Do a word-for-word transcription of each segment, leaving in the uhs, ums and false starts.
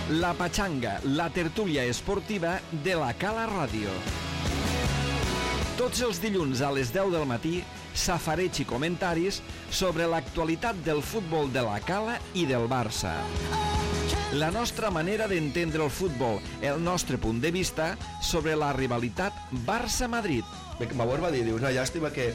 La Pachanga, la tertúlia esportiva de la Cala Ràdio. Tots els dilluns a les deu del matí, safareig i comentaris sobre l'actualitat del futbol de la Cala i del Barça. La nostra manera d'entendre el futbol, el nostre punt de vista sobre la rivalitat Barça-Madrid. Bauer va dir, diu, una llàstima que,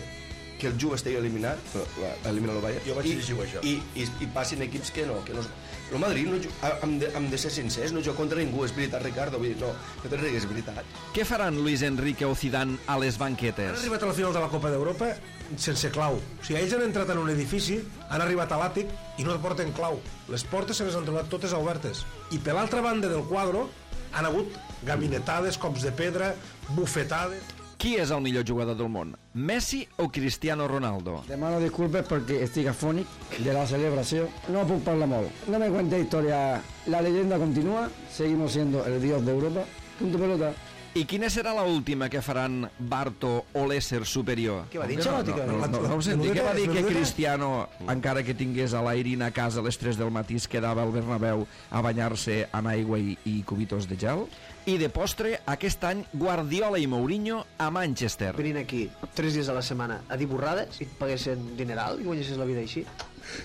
que el Juve estigui eliminat, elimina el Bayern, jo vaig i, llegir això. I, i, i passin equips que no, que no... El Madrid, no, hem, de, hem de ser sincers, no juga contra ningú, és veritat, Ricardo, vull dir, no, no te rigues, és veritat. Què faran Luis Enrique o Zidane a les banquetes? Han arribat a la final de la Copa d'Europa sense clau. O sigui, ells han entrat en un edifici, han arribat a l'àtic i no porten clau. Les portes se les han trobat totes obertes. I per l'altra banda del quadre han hagut gabinetades, cops de pedra, bufetades... Qui és el millor jugador del món? Messi o Cristiano Ronaldo? Demano disculpes perquè estic afònic de la celebració. No puc parlar molt. No me cuente historia. La leyenda continúa. Seguimos siendo el dios de Europa. Punto pelota. I quina serà la última que faran Barto o l'ésser superior? Què va dir, no, no, no, no, no ho senti, què va dir que Cristiano, encara que tingués a l'Airin a casa a les tres del matí, es quedava al Bernabéu a banyar-se en aigua i, i cubitos de gel? I de postre, aquest any, Guardiola i Mourinho a Manchester. Venint aquí tres dies a la setmana a dir borrades i et paguessin dineral i guanyessis la vida així.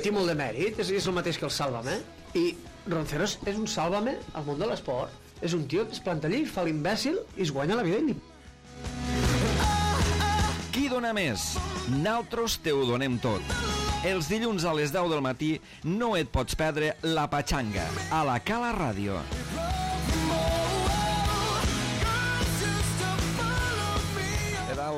Té molt de mèrit, és, és el mateix que el Sálvame. I Ronceros és un Sálvame al món de l'esport. És un tio que es planta allí, fa l'imbècil i es guanya la vida i... Qui dona més? Naltros te ho donem tot. Els dilluns a les deu del matí no et pots perdre La Pachanga a la Cala Ràdio.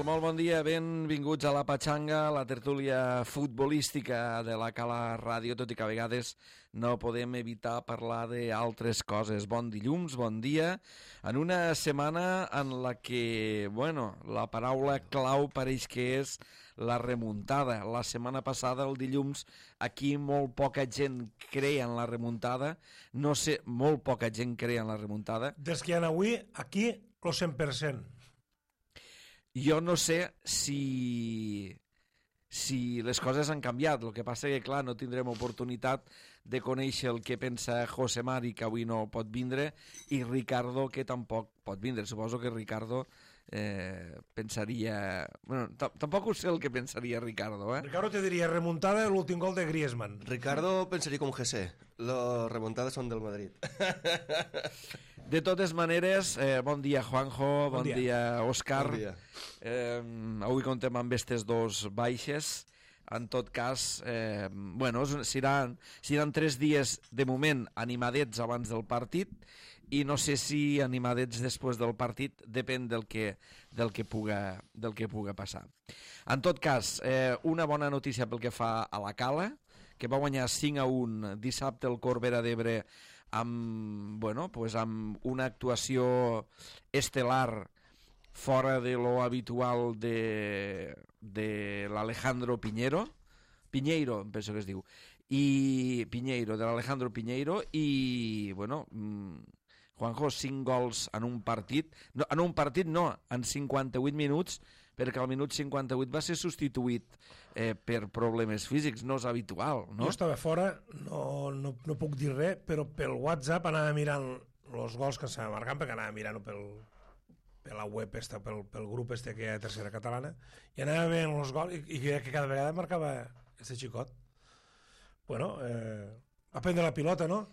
Molt bon dia, benvinguts a La Pachanga, la tertúlia futbolística de la Cala Ràdio, tot i que a vegades no podem evitar parlar d'altres coses. Bon dilluns, bon dia, en una setmana en la que, bueno, la paraula clau pareix que és la remuntada. La setmana passada, el dilluns, aquí molt poca gent creia en la remuntada, no sé, molt poca gent creia en la remuntada. Des que hi ha avui, aquí, el cent per cent. Jo no sé si, si les coses han canviat. El que passa que, clar, no tindrem oportunitat de conèixer el que pensa José Mari, que avui no pot vindre, i Ricardo, que tampoc pot vindre. Suposo que Ricardo eh, pensaria... Bueno, tampoc ho sé el que pensaria Ricardo, eh? Ricardo te diria remuntada l'últim gol de Griezmann. Ricardo pensaria com G C, les remuntades són del Madrid. De totes maneres, eh, bon dia Juanjo, bon, bon dia. dia Òscar. Bon dia. Eh, avui contem amb aquestes dos baixes. En tot cas, eh, bueno, seran, seran tres dies de moment animadets abans del partit i no sé si animadets després del partit, depèn del que, del que, puga, del que puga passar. En tot cas, eh, una bona notícia pel que fa a la Cala, que va guanyar cinc a un dissabte el Corbera d'Ebre amb, bueno, pues amb una actuació estel·lar fora de lo habitual de, de l'Alejandro Piñero, Piñeiro, em penso que es diu, i Piñeiro, de l'Alejandro Piñeiro, i, bueno, Juanjo, cinc gols en un partit, no, en un partit no, en cinquanta-vuit minuts, perquè al minut cinquanta-vuit va ser substituït eh, per problemes físics, no és habitual, no? Jo estava fora, no, no, no puc dir res, però pel WhatsApp anava mirant els gols que s'anaven marcant, perquè anava mirant pel, per la web, esta, pel, pel grup este que hi ha de Tercera Catalana, i anava veient els gols, i, i que cada vegada marcava este xicot. Bueno, eh, va prendre la pilota, no?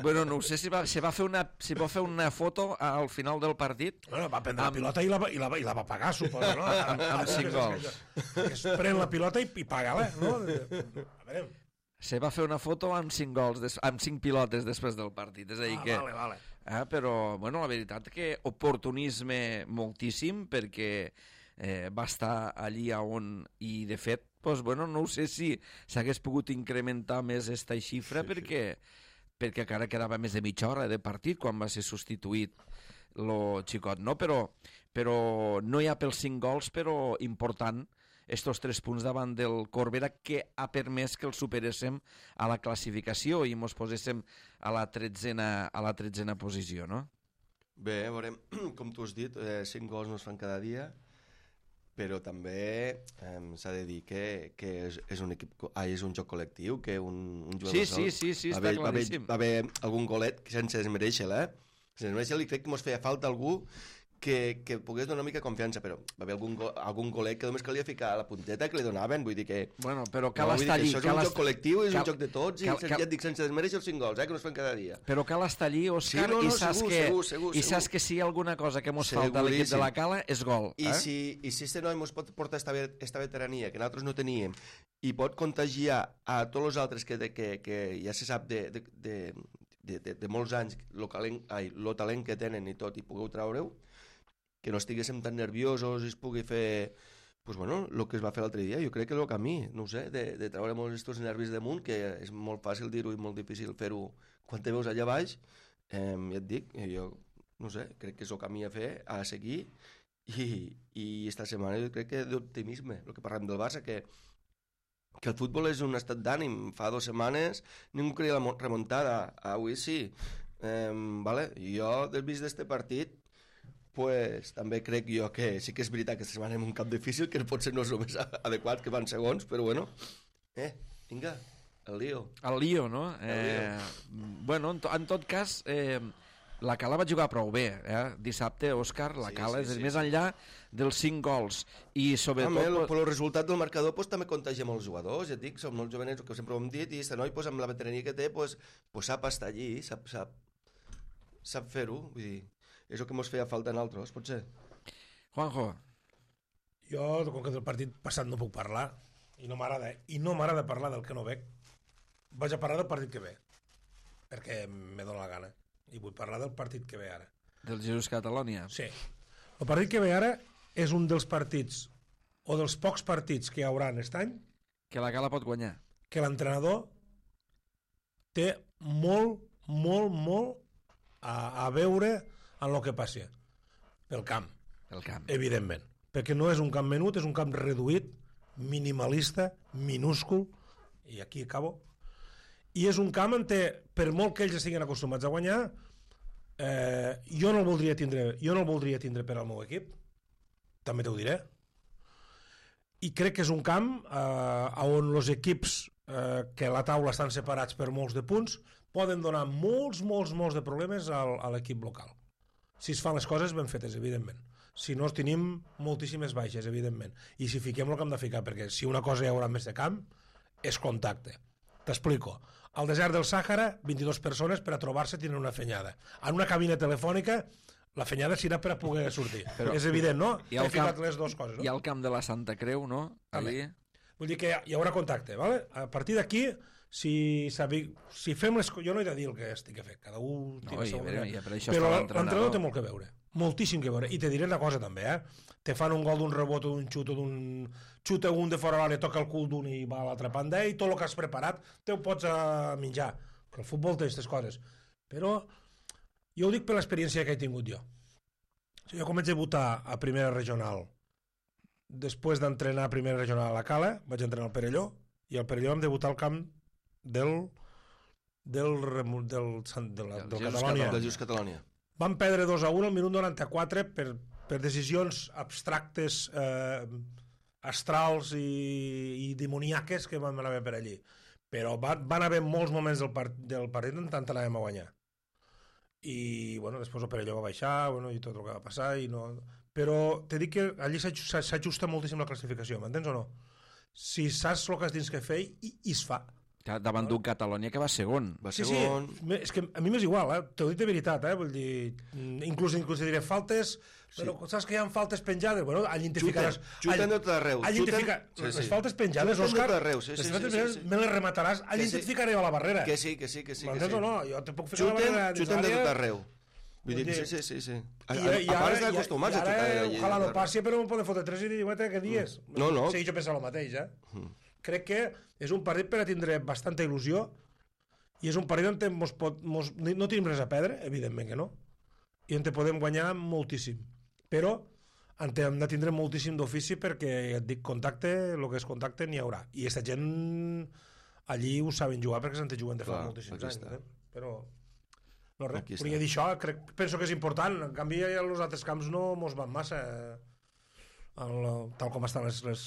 Bueno, no sé si va, si va fer una si va fer una foto al final del partit. Bueno, va prendre amb... la pilota i la, i, la, i la va pagar, suposo, no? amb, amb cinc gols. Es pren la pilota i, i paga-la, no? A veure... Se va fer una foto amb cinc gols, des, amb cinc pilotes després del partit. És a dir ah, que... Vale, vale. Eh, però, bueno, la veritat que oportunisme moltíssim, perquè eh, va estar allí on... I, de fet, doncs, bueno, no sé si s'hagués pogut incrementar més esta xifra, sí, perquè... Sí. perquè encara quedava més de mitja hora de partit quan va ser substituït lo xicot, no? Però, però no hi ha pels cinc gols, però important estos tres punts davant del Corbera, que ha permès que el superéssim a la classificació i mos poséssim a la tretzena, a la tretzena posició, no? Bé, veurem, com tu has dit, eh, cinc gols no es fan cada dia, però també eh, s'ha de dir que, que és, és, un equip, ah, és un joc col·lectiu, que un, un jugador Sí, sol... sí, sí, sí, va està haver, va haver, claríssim. va haver algun golet que sense desmereixer-la, eh? Sense desmereixer-la, i crec que mos feia falta algú que, que pogués donar una mica confiança, però va haver algun, go, algun golet que només calia ficar la punteta que li donaven, vull dir que... Bueno, però cal no, vull dir estar que allí. això és cal un est- joc col·lectiu, és cal- un joc de tots, cal- i cal- ja et dic, sense desmereixer els cinc gols, eh, que no es fan cada dia. Però cal estar allí, Òscar, Sí, no, no, i saps, segur, que, segur, segur, i saps segur. que si hi ha alguna cosa que mos falta a l'equip de Seguríssim. la Cala és gol. I Eh? si, i si este noi ens pot portar esta, ve- esta veterania que nosaltres no teníem i pot contagiar a tots els altres que, de, que, que ja se sap de, de, de, de, de, de molts anys lo, calent, ai, lo talent que tenen i tot, i pugueu treure-ho, que no estiguéssim tan nerviosos i es pugui fer pues bueno, el que es va fer l'altre dia, jo crec que és el camí, no ho sé, de, de treure molts estos nervis damunt, que és molt fàcil dir-ho i molt difícil fer-ho quan te veus allà baix. Eh, ja et dic, jo no sé, crec que és el camí a fer, a seguir, i, i esta setmana jo crec que d'optimisme, el que parlem del Barça, que, que el futbol és un estat d'ànim. Fa dues setmanes ningú creia la mo- remuntada, avui sí. Eh, vale? Jo, des vist d'este partit, pues, també crec jo que sí que és veritat que esta setmana en un camp difícil, que potser no és el més adequat, que van segons, però bueno, eh, vinga, el lío. El lío, no? Eh, bueno, en, to, en tot cas, eh, la Cala va jugar prou bé. Eh? Dissabte, Òscar, la Sí, Cala, sí, és sí, més sí. enllà dels cinc gols. I sobretot... També, el, pues, per el resultat del marcador pues, també contagia molts jugadors, ja et dic, som molts jovenets, que sempre ho hem dit, i este noi, pues, amb la veterania que té, pues, pues, sap estar allí, sap, sap, sap fer-ho, vull dir, és el que mos feia falta en altres, potser. Juanjo, Jo, com que del partit passat no puc parlar, i no m'agrada, i no m'agrada parlar del que no veig, vaig a parlar del partit que ve, perquè me dóna la gana, i vull parlar del partit que ve ara. del Jesús Catalònia. Sí. El partit que ve ara és un dels partits, o dels pocs partits que hi haurà aquest any, Que la Cala pot guanyar. que l'entrenador té molt, molt, molt a, a veure en el que passi pel camp, El camp. evidentment, perquè no és un camp menut, és un camp reduït, minimalista, minúscul, i aquí acabo, i és un camp en què, per molt que ells estiguin acostumats a guanyar, eh, jo no el voldria tindre, jo no el voldria tindre per al meu equip, també t'ho diré, i crec que és un camp eh, on els equips eh, que a la taula estan separats per molts de punts poden donar molts, molts, molts de problemes al, a l'equip local. Si es fan les coses ben fetes, evidentment. Si no, tenim moltíssimes baixes, evidentment. I si fiquem el que hem de ficar, perquè si una cosa hi haurà més de camp, és contacte. T'explico. Al desert del Sàhara, vint-i-dues persones per a trobar-se tenen una fenyada. En una cabina telefònica, la fenyada serà per a poder sortir. Però- Però, és evident, no? I al He ficat camp- les dues coses, no? Hi ha el camp de la Santa Creu, no? També. Allí. Vull dir que hi haurà contacte, ¿vale? A partir d'aquí, si, sabi, si fem les coses... Jo no he de dir el que estic a fer, cada un... No, tira i, segons però, ell. i per això Però està l'entrenador té l'entrenador. molt que veure, moltíssim que veure. I te diré una cosa també, eh? Te fan un gol d'un rebot o d'un xut o d'un... Xuta un de fora l'àrea, toca el cul d'un i va a l'altra banda i tot el que has preparat te ho pots a menjar. Que el futbol té aquestes coses. Però jo ho dic per l'experiència que he tingut jo. Jo com vaig debutar a primera regional, després d'entrenar a primera regional a la Cala, vaig entrenar al Perelló, i al Perelló vam debutar al camp del del, remu- del, del, del, Del del Jesús Catalònia. Del Just Catalònia. Vam perdre dos a un al minut noranta-quatre per, per decisions abstractes, eh, astrals i, i demoníaques que vam anar per allí. Però van, van haver molts moments del, part, del partit en tant anàvem a guanyar. I, bueno, després el Perelló va baixar, bueno, i tot el que va passar, i no... Però te dic que allí s'aj- s'ajusta moltíssim la classificació, m'entens o no? Si saps el que has dins que fer, i, i es fa. Que davant d'un Catalònia que va segon. Va Sí, segon... sí, me- és que a mi m'és igual, eh? T'ho dic de veritat, eh? Vull dir, mm, inclús, inclús diré faltes, però saps que hi ha faltes penjades? Bueno, allí te Xuten, ficaràs... xuten de tot arreu. Allí te xuten- fica... sí, sí. Les faltes penjades, Xuten de Òscar, tot arreu, sí, les sí, faltes sí, penjades sí, sí. me les remataràs, allí Que te sí. ficaré a la barrera. Que sí, que sí, que sí. Que M'entens sí. o no? Jo te puc ficar a la Xuten, barrera dins xuten de l'àrea. tot arreu. Vull dir, Vull que dir- sí, sí, sí, sí. A, I, a, i a ara, part i, estar acostumats i a xutar ara, allí. ojalà no passi, però em poden fotre tres i dir, guaita, que dies? No, no. Sí, jo penso el mateix, eh? Crec que és un partit per a tindre bastanta il·lusió i és un partit on te mos pot, mos, no tenim res a perdre, evidentment que no, i on te podem guanyar moltíssim. Però en te hem de tindre moltíssim d'ofici perquè, ja et dic, contacte, el que és contacte n'hi haurà. I aquesta gent allí ho saben jugar perquè se'n te juguen de fa Clar, moltíssims aquí anys. està. Eh? Però no res, Aquí volia està. dir això, crec, penso que és important. En canvi, els altres camps no mos van massa. el, tal com estan les, les,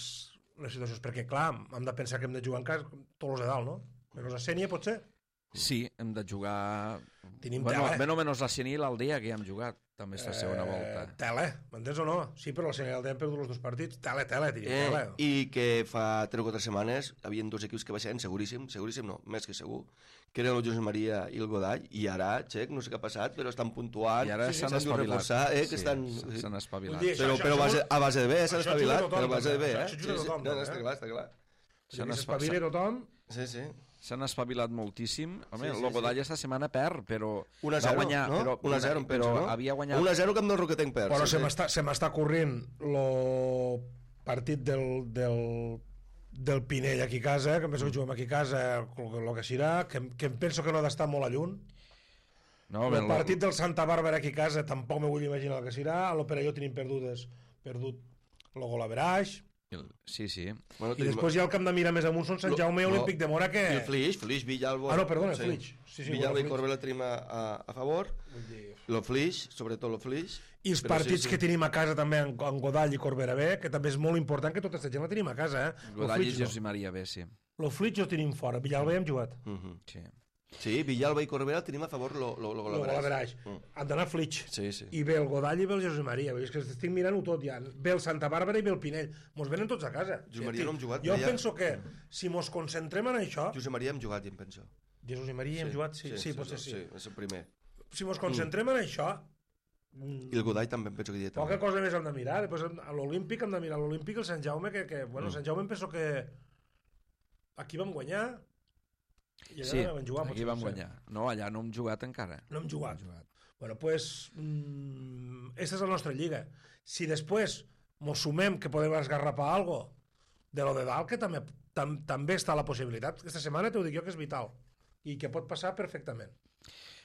les situacions, perquè clar, hem de pensar que hem de jugar en casa tots els de dalt, no? Menys a Sènia, potser? Sí, hem de jugar... Tenim bueno, tela, eh? Menys o menys la Sènia i l'Aldea, que ja hem jugat, també és la segona volta. Eh, tela, m'entens o no? Sí, però la Sènia i l'Aldea han perdut els dos partits. Tela, tela, tenim Eh, tela. I que fa tres o quatre setmanes hi havia dos equips que baixaven, seguríssim, seguríssim no, més que segur, que eren el Josep Maria i el Godall, i ara, xec, no sé què ha passat, però estan puntuant, I ara sí, s'han s'han dut espavilat. reforçar, eh, que Sí, estan... s'han espavilat. Vull dir, Però, això- però a, això- base, a base de bé, s'han això ajuda espavilat, tothom, però a base de bé, també. eh? Això ajuda Sí, sí. tothom, No, no, també, està eh? clar, està clar. S'han Que espa- s'espavili tothom. Sí, sí. S'han espavilat moltíssim. Home, Sí, sí, el Godall esta setmana perd, però un a va zero, guanyar, no? però, un a zero, em però penso, no? havia guanyat... un a zero Camp del Roquetenc perd. Però sí, se sí. m'està se m'està corrent el partit del, del, del Pinell aquí a casa, que em penso que juguem aquí a casa, el que serà, que, que em penso que no ha d'estar molt a lluny. No, El el partit del Santa Bàrbara aquí a casa tampoc me vull imaginar el que serà. A l'Operalló tenim perdudes, perdut el gol a Veraix. Sí, sí. Bueno, I tenim- després hi ha el camp de Mira més amunt, són Sant Lo- Jaume i no. Olímpic de Mora, que... I el Flix, Flix, Villalba... Ah, no, perdona, el Flix. Sí, sí, Villalba bueno, i Flix. Corbella tenim a, a, a favor. Vull dir, El Flix, sobretot el Flix. I els Però partits sí, sí. que tenim a casa també en, en Godall i Corbera B, que també és molt important que tota aquesta gent la tenim a casa, eh? Godall i Lo Flix Josep Maria B, sí. no. Lo Flix ho tenim fora, Villalba hi hem jugat. Mhm. sí. Sí, Villalba i Corbella tenim a favor lo, lo, lo, Lo Golaveraix. Mm. Han d'anar Flix. Sí, sí. I ve el Godall i ve el Josep Maria. Vull dir, és que estic mirant-ho tot ja. Ve el Santa Bàrbara i ve el Pinell. Mos venen tots a casa. Josep Maria no hem jugat, Jo deia. penso que si mos concentrem en això... Josep Maria hem jugat, ja em penso. Jesús i Maria hem jugat? Sí, sí, sí, potser sí. Sí, és el primer. Si mos concentrem en això... I el Godall també em penso que hi ha Poca també. cosa més hem de mirar. Després a l'Olímpic hem de mirar l'Olímpic i el Sant Jaume, que, que bueno, Mm. Sant Jaume em penso que aquí vam guanyar i allà Sí, no vam jugar. aquí potser, vam no sé. guanyar. No, allà no hem jugat encara. No hem jugat. Bueno, pues, mm, esta és la nostra lliga. Si després mos sumem que podem esgarrapar algo de lo de dalt, que també, tam, també està la possibilitat. Aquesta setmana t'ho dic jo que és vital i que pot passar perfectament.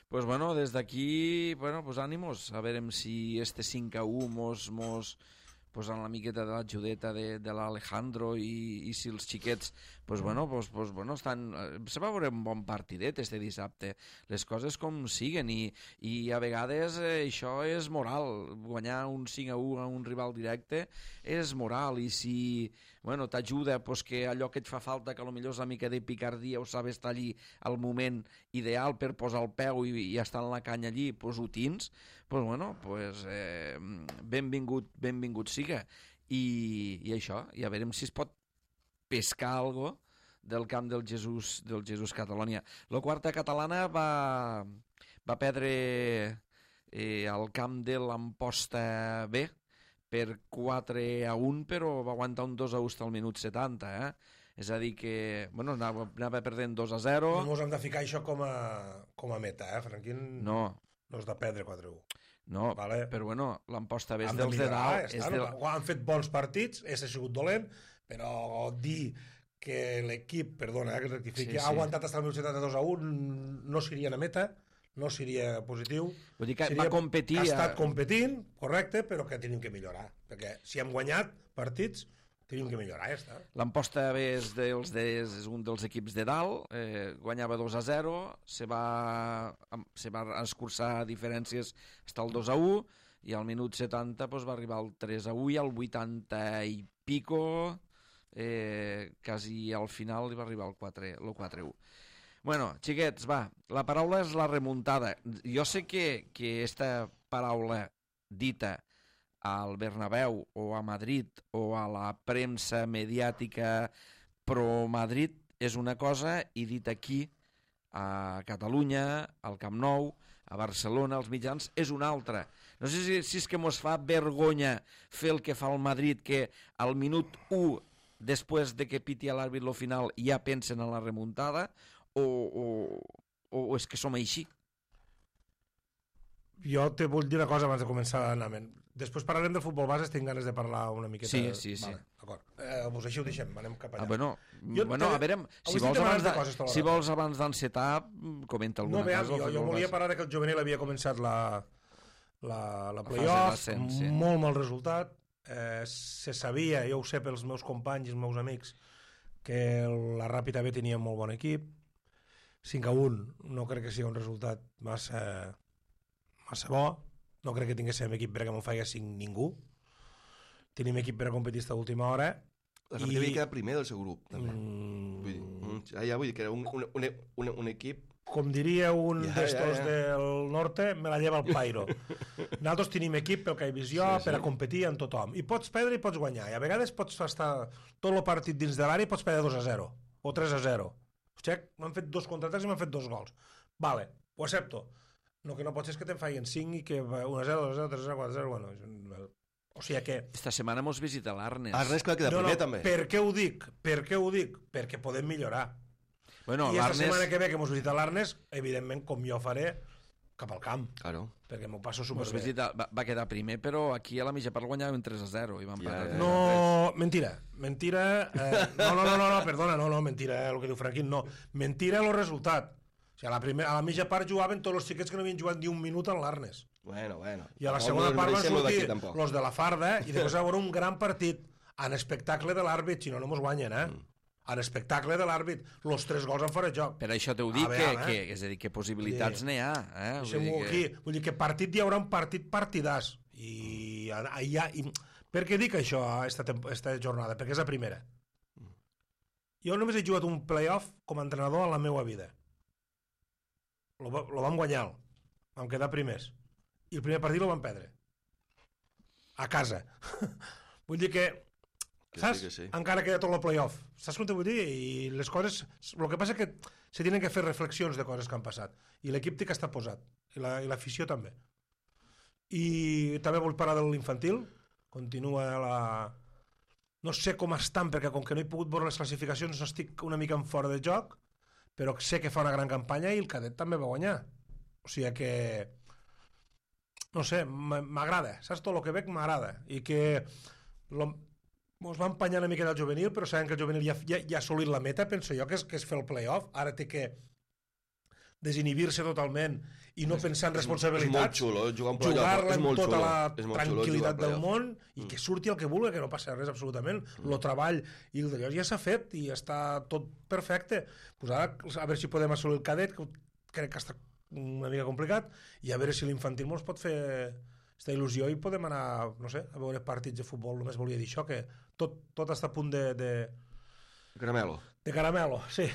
Pues bueno, des d'aquí, bueno, pues ànimos, a veure si este cinc a u mos, mos posen la miqueta de l'ajudeta de, de l'Alejandro i, i si els xiquets, pues bueno, pues, pues bueno, estan, eh, se va veure un bon partidet este dissabte, les coses com siguen i, i a vegades eh, això és moral, guanyar un cinc a u a un rival directe és moral i si bueno, t'ajuda pues, que allò que et fa falta, que potser és una mica de picardia o saber estar allí al moment ideal per posar el peu i, i estar en la canya allí, pues, ho tens, pues, bueno, pues, eh, benvingut, benvingut siga. I, I això, i a veure si es pot pescar algo del camp del Jesús, del Jesús Catalònia. La quarta catalana va, va perdre eh, al camp de l'Amposta B, per quatre a un, però va aguantar un dos a u al minut setanta, eh? És a dir que, bueno, anava, anava perdent dos a zero. No ens hem de ficar això com a, com a meta, eh, Franquín? No, No és de perdre quatre a u. no, Vale. però bueno, l'Amposta B és Hem de dels de millorar, dalt. ja És està, de... no? Han fet bons partits, és ha sigut dolent, però dir que l'equip, perdona, eh, que rectifiqui, Sí, sí. ha aguantat fins al minut setanta-dos a un, no seria una meta, no seria positiu. Vull dir que Seria va competir... Ha estat a- competint, correcte, però que tenim que millorar. Perquè si hem guanyat partits, tenim que millorar, ja està. L'Amposta B és, dels, de, és un dels equips de dalt, eh, guanyava dos a zero, se va, se va escurçar diferències fins al dos a u, i al minut setanta pues, va arribar al tres a u, i al vuitanta i pico, eh, quasi al final li va arribar el quatre a u. Bueno, xiquets, va, la paraula és la remuntada. Jo sé que, que esta paraula dita al Bernabéu o a Madrid o a la premsa mediàtica pro-Madrid és una cosa i dit aquí a Catalunya, al Camp Nou, a Barcelona, als mitjans, és una altra. No sé si, si és que mos fa vergonya fer el que fa el Madrid, que al minut u, després de que piti a l'àrbit lo final, ja pensen en la remuntada, o, o, o és que som així. Jo te vull dir una cosa abans de començar l'anament. Després parlarem del futbol base, tinc ganes de parlar una miqueta. Sí, sí, sí. Vale, d'acord. Eh, doncs així ho deixem, anem cap allà. Ah, bueno, Jo bueno, te- a veure, avui si sí vols, te abans, parles de de, coses tota si l'hora. vols abans d'encetar, comenta alguna No, veus, cosa. jo, jo volia parlar de que el juvenil havia començat la, la, la fase playoff, d'ascens, sí. molt mal resultat. Eh, se sabia, jo ho sé pels meus companys i els meus amics, que la Ràpita B tenia un molt bon equip. cinc a un no crec que sigui un resultat massa, massa bo. No crec que tinguéssim equip perquè me'n faia cinc ningú. tenim equip per a competir esta última hora. La Sabatella havia quedat primer del seu grup, també. Mm... Vull dir, mm, ja, ja vull dir que era un, un, un, un, un equip... Com diria un ja, d'estos ja, ja. del norte, me la lleva el pairo. Nosaltres tenim equip pel que he vist jo, sí, sí. per a competir amb tothom. I pots perdre i pots guanyar. I a vegades pots estar tot el partit dins de l'àrea i pots perdre dos a zero o tres a zero. Hòstia, m'han fet dos contraatacs i m'han fet dos gols. Vale, ho accepto. No, que no pot ser que te'n fallen cinc i que un a zero, dos a zero, tres a zero, quatre a zero... Bueno, o sigui que... Esta setmana mos visita l'Arnes. Arnes que va quedar no, primer, no, també. Per què ho dic? Per què ho dic? Perquè podem millorar. Bueno, I esta setmana l'Arnes... que ve que mos visita l'Arnes, evidentment, com jo faré, cap al camp. Claro. Perquè m'ho passo Mos superbé. visita, va, va quedar primer, però aquí a la mitja part guanyàvem tres a zero i vam Ja, parar. ja. No, mentira, mentira, eh, no, no, no, no, no, perdona, no, no, mentira, el que diu Franquín, no, mentira el resultat. O sigui, a la, primera, a la mitja part jugaven tots els xiquets que no havien jugat ni un minut en l'Arnes. Bueno, bueno. I a la No, segona no part van mereixem lo d'aquí, sortir tampoc. los de la farda i després va haver un gran partit en espectacle de l'àrbit, si no, no mos guanyen, eh? Mm. En espectacle de l'àrbit, los tres gols en fora de joc. Per això t'ho dic, A que, veure, que, eh? és a dir, que possibilitats Sí. n'hi ha. Eh? Vull dir, que... aquí, vull dir que partit hi haurà un partit partidàs. I, i, i, per què dic això esta, esta jornada? Perquè és la primera. Jo només he jugat un playoff com a entrenador en la meva vida. Lo, lo vam guanyar, vam quedar primers. I el primer partit lo vam perdre. A casa. Vull dir que, Que saps? sí, que sí. Encara queda tot el playoff. Saps com t'ho vull dir? I les coses... El que passa és que se tenen que fer reflexions de coses que han passat. I l'equip té que estar posat. I la, i l'afició també. I també vull parlar de l'infantil. Continua la... No sé com estan, perquè com que no he pogut veure les classificacions no estic una mica en fora de joc, però sé que fa una gran campanya i el cadet també va guanyar. O sigui que... No sé, m'agrada. Saps? Tot el que veig m'agrada. I que... Lo... Mos va empanyar una mica del juvenil, però sabem que el juvenil ja, ja, ja ha assolit la meta, penso jo, que és, que és fer el play-off. Ara té que desinhibir-se totalment i no És- pensar en és- responsabilitats. és molt xulo, jugar un play-off, jugar-la és amb molt tota xulo, la és molt xulo tranquil·litat jugar del play-off. món i que surti el que vulgui, que no passa res absolutament. El treball i el d'allò ja s'ha fet i està tot perfecte. Pues ara, a veure si podem assolir el cadet, que crec que està una mica complicat, i a veure si l'infantil mos pot fer aquesta il·lusió i podem anar, no sé, a veure partits de futbol. Només volia dir això, que tot, tot està a punt de, de, Caramelo. de caramelo, sí.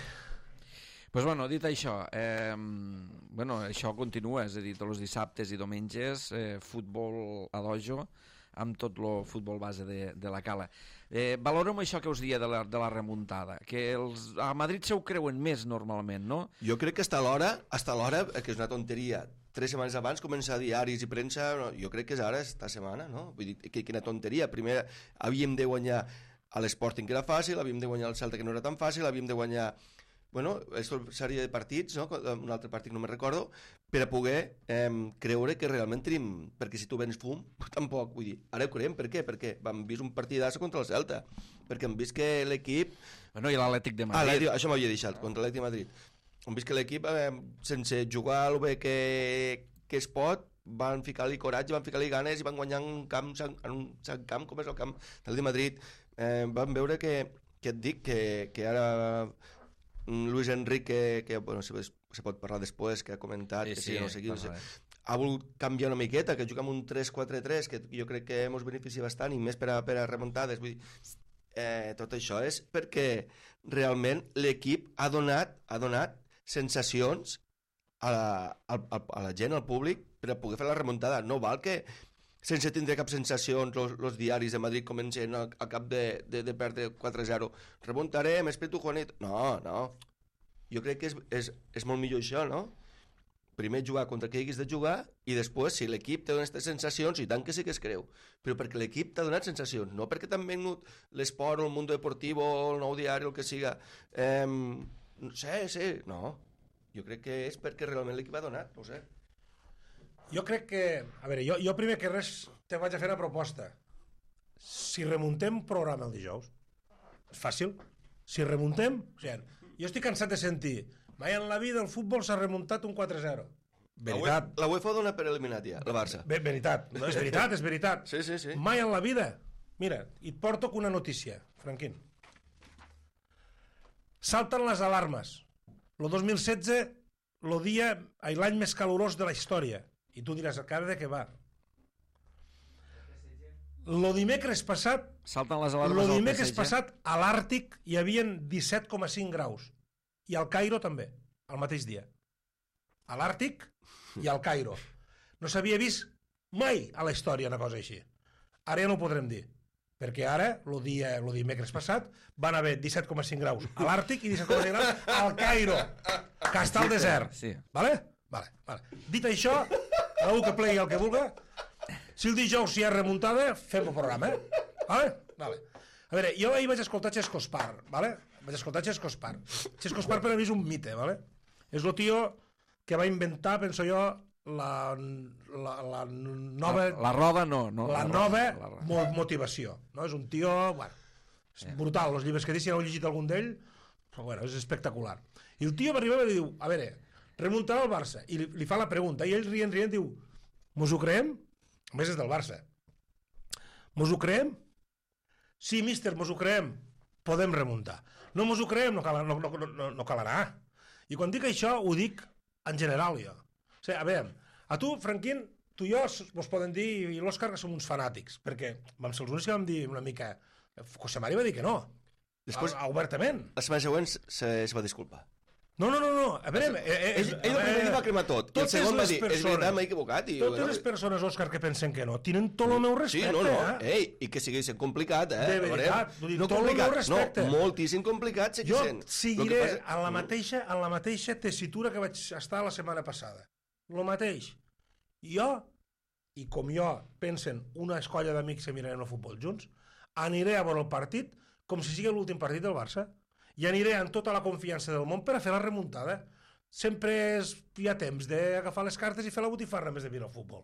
Pues bueno, dit això, eh, bueno, això continua, és a dir, tots els dissabtes i diumenges, eh, futbol a dojo, amb tot el futbol base de, de la Cala. Eh, valorem això que us dia de la, de la remuntada, que els, a Madrid se ho creuen més normalment, no? Jo crec que està a l'hora, està a l'hora, que és una tonteria, tres setmanes abans començar diaris i premsa, no, jo crec que és ara, esta setmana, no? Vull dir, que, quina tonteria. Primer havíem de guanyar a l'Sporting, que era fàcil, havíem de guanyar al Celta, que no era tan fàcil, havíem de guanyar, bueno, aquesta sèrie de partits, no? Un altre partit no me'n recordo, per a poder eh, creure que realment tenim, perquè si tu vens fum, tampoc, vull dir, ara ho creiem, per què? Perquè vam vist un partidasso contra el Celta, perquè hem vist que l'equip... Bueno, i l'Atlètic de Ah, Madrid. l'Atlètic, això m'havia deixat, contra l'Atlètic de Madrid. Hem vist que l'equip, eh, sense jugar el bé que, que es pot, van ficar-li coratge, van ficar-li ganes i van guanyar en un camp, en un Sant Camp, com és el camp del de Madrid. Eh, van veure que, que et dic, que, que ara Luis Enrique, que bueno, se, se pot parlar després, que ha comentat, Sí, que sí, sí, no sé qui, no sé, parlarem. ha volgut canviar una miqueta, que juga amb un tres quatre tres, que jo crec que ens beneficia bastant, i més per a, per a remuntades. Vull dir, eh, tot això és perquè realment l'equip ha donat, ha donat sensacions a la, a, a, a la gent, al públic, per a poder fer la remuntada. No val que sense tindre cap sensacions els diaris de Madrid comencen a, a cap de, de, de perdre quatre a zero. Remuntarem, espíritu Juanito. No, no. Jo crec que és, és, és molt millor això, no? Primer jugar contra qui haguis de jugar i després, si l'equip té aquestes sensacions, i tant que sí que es creu, però perquè l'equip t'ha donat sensacions, no perquè t'han venut l'esport o el Mundo Deportivo o el Nou Diari o el que siga. Eh, no sé, sí, no. Jo crec que és perquè realment l'equip ha donat, no ho sé. Jo crec que... A veure, jo, jo primer que res te vaig a fer una proposta. Si remuntem programa el dijous, és fàcil. Si remuntem... O sigui, jo estic cansat de sentir mai en la vida el futbol s'ha remuntat un quatre a zero. Veritat. La UEFA dona per eliminat ja, el Barça. Ve, veritat. No, és veritat, és veritat. Sí, sí, sí. Mai en la vida. Mira, i et porto una notícia, Franquín. Salten les alarmes. El dos mil setze, el dia, l'any més calorós de la història. I tu diràs, cara de què va? Lo dimecres passat, Salten les alarmes lo al dimecres P S G. passat a l'Àrtic hi havia disset coma cinc graus. I al Cairo també, el mateix dia. A l'Àrtic i al Cairo. No s'havia vist mai a la història una cosa així. Ara ja no ho podrem dir, perquè ara, el dia, el dimecres passat, van haver disset coma cinc graus a l'Àrtic i disset coma cinc graus al Cairo, que està al desert. Sí. Vale? Vale, vale. Dit això, algú que plegui el que vulga, si el dijous hi ha remuntada, fem el programa, eh? Vale? Vale. A veure, jo ahir vaig escoltar Xesco Spar, vale? Vaig escoltar Xesco Spar. Xesco Spar per a mi és un mite, vale? És el tio que va inventar, penso jo, la, la, la nova... La, la roda no. no la, la nova la roda. mo motivació. No? És un tio... Bueno, és yeah. brutal. Els llibres que dic, si no heu llegit algun d'ell, però bueno, és espectacular. I el tio va arribar i li diu, a veure, remuntarà el Barça. I li, li fa la pregunta. I ell rient, rient, diu, mos ho creem? A més és del Barça. Mos ho creem? Sí, míster, mos ho creem. Podem remuntar. No mos ho creem, no cal, no, no, no, no cal anar. I quan dic això, ho dic en general, jo. O sigui, a veure, a tu, Franquín, tu i jo vos poden dir, i l'Òscar, que som uns fanàtics, perquè vam ser els únics que vam dir una mica... José Mari va dir que no. Després, a, a, obertament. La setmana següent se, se va disculpar. No, no, no, no. A veure... Eh, eh, ell, ell el primer dia va cremar tot, i el segon va dir, és veritat, m'he equivocat. I, totes les persones, Òscar, que pensen que no, tenen tot el meu respecte. Sí, no, no, eh? ei, i que sigui sent complicat, eh? De veritat, vull dir, no tot el complicat, meu respecte. no, moltíssim complicat, sé que Jo sent. seguiré passa... en, la mateixa, en la mateixa tessitura que vaig estar la setmana passada. Lo mateix. Jo, i com jo pensen una escolla d'amics que mirarem el futbol junts, aniré a veure el partit com si sigui l'últim partit del Barça. I aniré amb tota la confiança del món per a fer la remuntada. Sempre és, hi ha temps d'agafar les cartes i fer la botifarra més de mirar el futbol.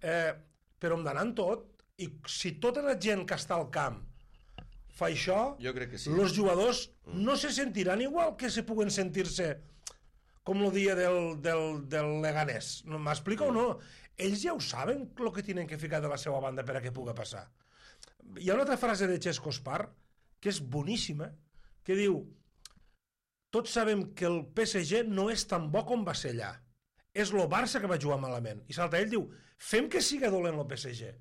Eh, però hem d'anar en tot, i si tota la gent que està al camp fa això, jo crec que sí. Els jugadors no se sentiran igual que se puguen sentir-se com el dia del, del, del Leganés. M'explica o no? Ells ja ho saben el que tenen que ficar de la seva banda per a què pugui passar. Hi ha una altra frase de Xesco Spar que és boníssima, que diu: tots sabem que el P S G no és tan bo com va ser allà. És el Barça que va jugar malament. I salta ell, diu, fem que siga dolent el P S G.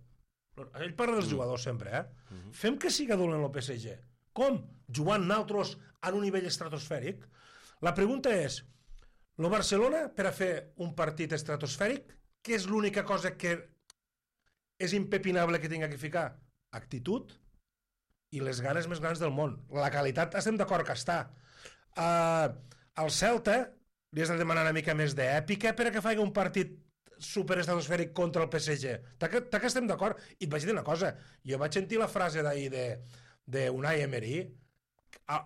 Ell parla dels jugadors sempre, eh? Mm-hmm. Fem que siga dolent el P S G. Com? Jugant naltros en un nivell estratosfèric? La pregunta és, el Barcelona, per a fer un partit estratosfèric, què és l'única cosa que és impepinable que tinga que ficar? Actitud i les ganes més grans del món. La qualitat estem d'acord que està. Uh, al Celta li has de demanar una mica més d'èpica per a que faci un partit superestratosfèric contra el P S G. Ta que, ta que estem d'acord. I et vaig dir una cosa, jo vaig sentir la frase d'ahir de, de Unai Emery,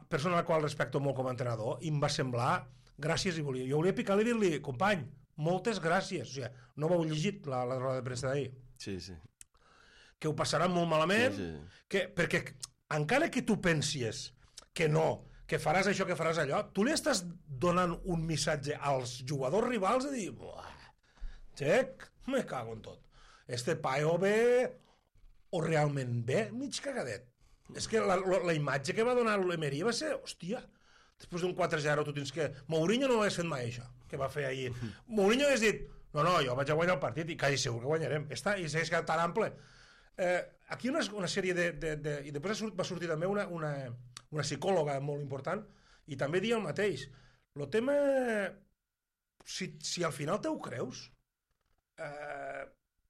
persona a la qual respecto molt com a entrenador, i em va semblar gràcies, i volia, jo volia picar-li i dir-li, company, moltes gràcies. O sigui, no m'heu llegit la, la roda de premsa d'ahir. Sí, sí. Que ho passaran molt malament, sí, sí. Que, perquè encara que tu pensies que no, que faràs això, que faràs allò, tu li estàs donant un missatge als jugadors rivals de dir, buah, xec, me cago en tot. Este paio ve, o realment ve, mig cagadet. És que la, la, la imatge que va donar l'Emery va ser, hòstia, després d'un quatre zero tu tens que... Mourinho no ho hagués fet mai, això, que va fer ahir. Mourinho hagués dit, no, no, jo vaig a guanyar el partit i quasi segur que guanyarem. Està, i s'hagués quedat tan ample. Eh, aquí una, una sèrie de, de, de... I després va sortir també una, una, una psicòloga molt important i també dia el mateix. El tema... Si, si al final te ho creus, eh,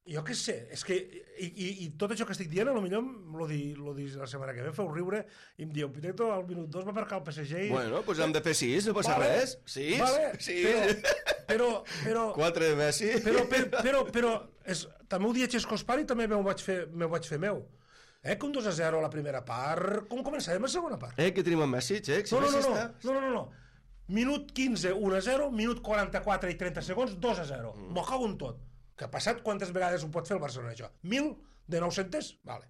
jo què sé, és que... I, i, i tot això que estic dient, potser lo di, lo di la setmana que ve, em feu riure i em diu, Piteto, al minut dos va marcar el P S G i... Bueno, doncs hem de fer sis, no passa vale, res. Sis, vale, sis. Però, però... Quatre de Messi. Però, però, però, però és, també ho dia Xesco Spar i també m'ho vaig, fer, vaig fer meu. Eh, que un dos a zero a la primera part... Com començàvem la segona part? Eh, que tenim en Messi, Xec? Si no, no, no, Messi no, està... no, no, no, no. Minut quinze, un a zero, minut quaranta-quatre i trenta segons, dos a zero. Mm. M'ho cago en tot. Que ha passat quantes vegades ho pot fer el Barcelona, això? Mil de nou-centes? Vale.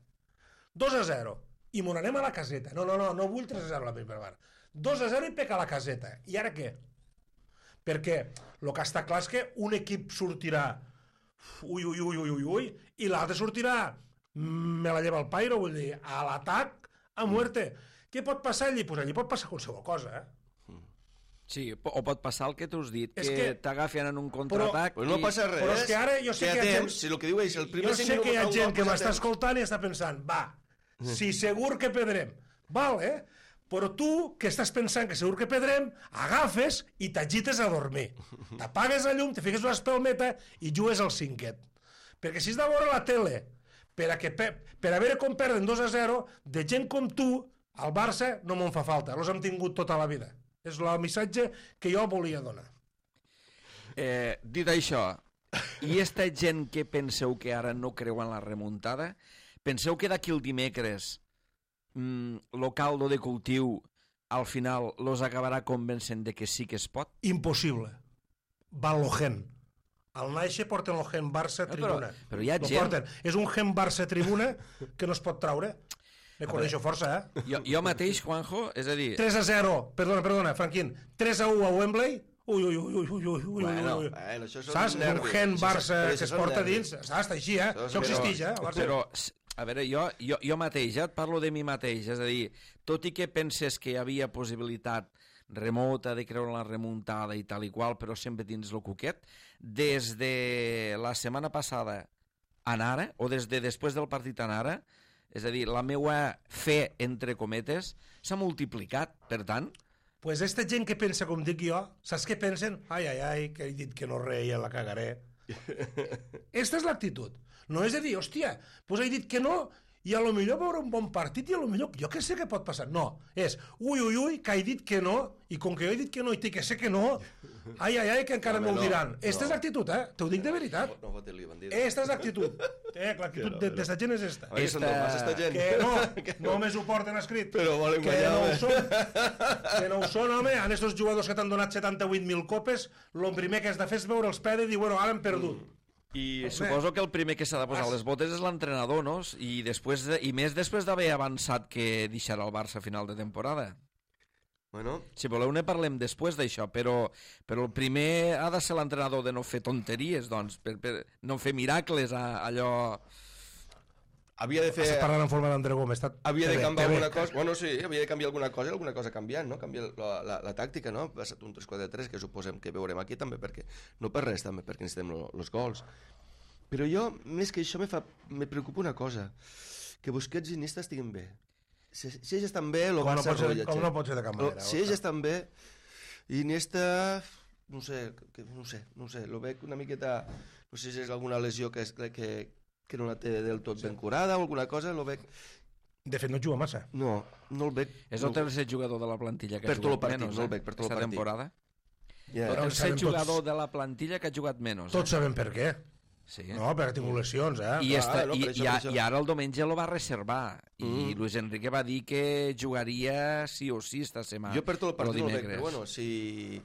dos a zero. I m'ho anem a la caseta. No, no, no, no vull tres a zero a la primera part. dos a zero i peca a la caseta. I ara què? Perquè el que està clar és que un equip sortirà ui, ui, ui, ui, ui, ui, i l'altre sortirà me la lleva el pairo, vull dir, a l'atac a muerte. Què pot passar allí? Pues allí pot passar qualsevol cosa, eh? Sí, o pot passar el que tu has dit, És que, que- t'agafen en un contraatac... Però no passa res. Però és que ara jo sé Té que hi ha temps, gent- si el que diu és el primer Jo cinc sé que hi ha minuts, gent que no m'està passa temps. escoltant i està pensant, va, si segur que perdrem, val, eh? Però tu, que estàs pensant que segur que perdrem, agafes i t'agites a dormir. T'apagues la llum, te fiques una espelmeta i jugues al cinquet. Perquè si has de veure la tele per a, que, per a veure com perden dos a zero, de gent com tu, al Barça no me'n fa falta. Els hem tingut tota la vida. És el missatge que jo volia donar. Eh, dit això, i esta gent que penseu que ara no creu en la remuntada, penseu que d'aquí el dimecres mm, lo caldo de cultiu al final los acabarà convencent de que sí que es pot? Impossible. Van lo gen. Al Naixe porten el gen Barça No, però- tribuna. però hi ha Lo gent- porten. És un gen Barça tribuna que no es pot traure. Me coneixo força, eh? Jo, jo mateix, Juanjo, és a dir... tres a zero, perdona, perdona, Franquín, tres a u a Wembley, ui, ui, ui, ui, ui, ui, ui, Bueno, ui. bueno, això són Saps? És un nervis. gen Això- Barça però que això es són porta nervis. dins, saps? Així, eh? Això és Això existeix, eh? però- al Barça. Però, s- a veure, jo, jo, jo mateix, ja et parlo de mi mateix, és a dir, tot i que penses que hi havia possibilitat remota de creure en la remuntada i tal i qual, però sempre dins el cuquet, des de la setmana passada en ara, o des de després del partit en ara, és a dir, la meua fe, entre cometes, s'ha multiplicat, per tant, Pues esta gent que pensa com dic jo, saps què pensen? Ai, ai, ai, que he dit que no reia, la cagaré. Esta és l'actitud. No és de dir, hòstia, doncs he dit que no, i a lo millor veure un bon partit i a lo millor, jo que sé què pot passar. No, és, ui, ui, ui, que he dit que no, i com que jo he dit que no i té que sé que no, ai, ai, ai, que encara Home, me'l no, diran. no. Esta és l'actitud, eh? T'ho dic de veritat. No fotis-li, bandida. Esta és l'actitud. Eh, l'actitud de- d'esta gent és esta. Oi, són del Barça, esta gent. Que no, només ho porten escrit. Però volen que guanyar, no ho home. són. Que no ho són, home. En estos jugadors que t'han donat setanta-vuit mil copes, el primer que has de fer és veure els pedes i dir, bueno, ara hem perdut. i Home. suposo que el primer que s'ha de posar les botes és l'entrenador, no? I, després de, i més després d'haver avançat que deixarà el Barça a final de temporada. Bueno, Si voleu ne parlem després d'això, però, però el primer ha de ser l'entrenador de no fer tonteries, doncs, per, per no fer miracles a, allò... havia de fer... Estàs parlant en forma d'André Gómez. Està... Havia té de bé, canviar té bé. alguna cosa, bueno, sí, havia de canviar alguna cosa i alguna cosa canviant, no? Canviar la, la, la tàctica, no? Ha estat un tres quatre tres, que suposem que veurem aquí també, perquè no per res, també, perquè necessitem els gols. Però jo, més que això, me, fa, me preocupa una cosa, que Busquets i Iniesta estiguin bé. Si, si ells estan bé, el Com no Barça pot ser- rotlla, com che. no pot ser de cap Lo- manera, Si Òscar. ells estan bé, i Iniesta, no sé, que, no sé, no sé, lo veig una miqueta, no sé si és alguna lesió que, és, que, que no la té del tot ben curada o alguna cosa, lo veig... De fet, no juga massa. No, no el veig... És no, el tercer jugador de la plantilla que Per ha tot el jugat partit, menys, no el eh, veig, per tot el esta partit. temporada. Ja. El Però tercer sabem jugador tots- de la plantilla que ha jugat menys. Tots Eh? sabem per què. Sí. No, perquè ha tingut lesions, eh? I, esta, no, i, per això, i, a- per això. i ara el diumenge lo va reservar i Mm. Luis Enrique va dir que jugaria sí o sí esta setmana. Jo per tot el partit no el veig, dimecres. però bueno, si,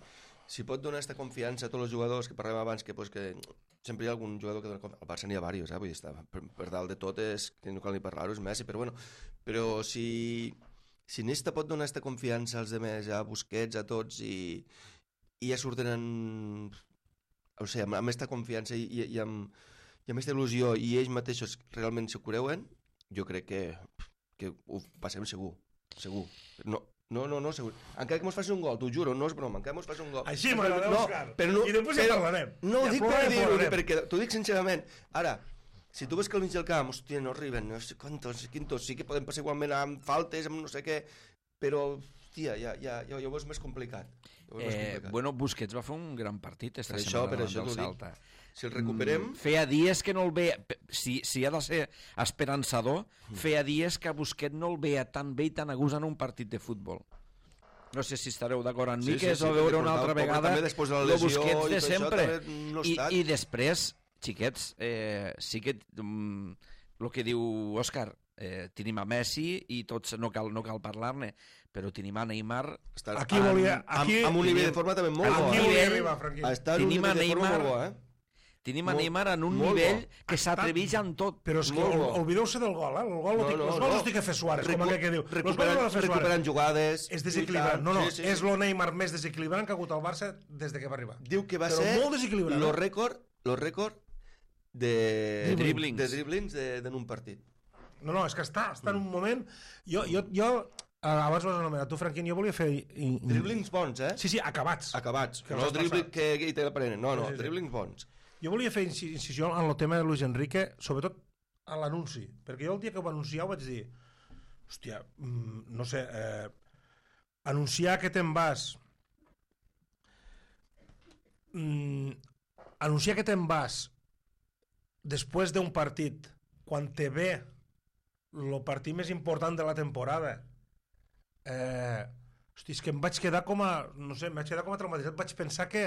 si pot donar aquesta confiança a tots els jugadors que parlem abans, que, pues, que sempre hi ha algun jugador que dona confiança. Al Barça n'hi ha diversos, eh? Vull dir, està, per, per dalt de tot és, que no cal ni parlar-ho, és Messi, però bueno, però si, si Nesta pot donar aquesta confiança als demés, a Busquets, a tots, i, i ja surten en, o sigui, amb, amb aquesta confiança i, i, i amb, i amb aquesta il·lusió, i ells mateixos realment s'ho creuen, jo crec que, que ho passem segur, segur. No, no, no, no, segur. Encara que mos faci un gol, t'ho juro, no és broma, encara que mos faci un gol. Així Però- m'agrada, no, Òscar. però no, I després ja però- parlarem. No, Ja dic per plorarem, dir-ho, plorarem. perquè t'ho dic sincerament. Ara, si tu ves que al mig del camp, hòstia, no arriben, no sé quantos, quintos, sí que podem passar igualment amb faltes, amb no sé què, però, hòstia, ja, ja, ja, ja ho veus més complicat. Ja ho veus més Eh, complicat. bueno, Busquets va fer un gran partit esta Per això, setmana per davant això del t'ho dic. Salta. Si el recuperem... Mm, feia dies que no el veia... Si, si ha de ser esperançador, Mm. feia dies que a Busquets no el veia tan bé i tan a gust en un partit de futbol. No sé si estareu d'acord amb mi, Sí, que sí, és sí, a veure perquè una portava- altra pobre vegada també després de la lo lesió Busquets i de tot això, sempre. també no ha I, estat. I després, xiquets, eh, sí que mm, el que diu Òscar, eh, tenim a Messi i tots no cal, no cal parlar-ne, però tenim a Neymar. Està Aquí volia- aquí- amb, amb un nivell de forma també molt Aquí bo. Aquí Eh? volia nivell- arribar, Franquí. Està en un Tenim a nivell de forma Neymar- molt bo, eh? Tenim a Molt- Neymar en un molt nivell bo. que s'atreveix en tot. Però és que Molt ol- bo. oblideu-se del gol, eh? El gol, no, No, no, no, els gols no. els té que fer Suárez, com Recu- aquell que diu. Els gols recuperant- no els ha de fer recuperant Suárez. jugades, És desequilibrant. lluitant. No, no, Sí, sí, sí. és el Neymar més desequilibrant que ha hagut al Barça des de que va arribar. Diu que va Però ser molt desequilibrant, lo eh? rècord, lo rècord de, De driblings. de driblings de, de un partit. No, no, és que està, està en un moment... Jo, jo, jo Abans ho has anomenat tu, Franquín, jo volia fer... Driblings bons, eh? Sí, sí, acabats. Acabats. Que No els has dribbling passat. que, que hi te l'aprenen. No, no, Sí, sí, sí. driblings bons. Jo volia fer inci- incisió en el tema de Luis Enrique, sobretot a l'anunci, perquè jo el dia que ho va anunciar ho vaig dir, hòstia, mm, no sé, eh, anunciar que te'n vas, mm, anunciar que te'n vas després d'un partit, quan te ve el partit més important de la temporada, eh, hosti, és que em vaig quedar com a, no sé, em vaig quedar com a traumatitzat, vaig pensar que,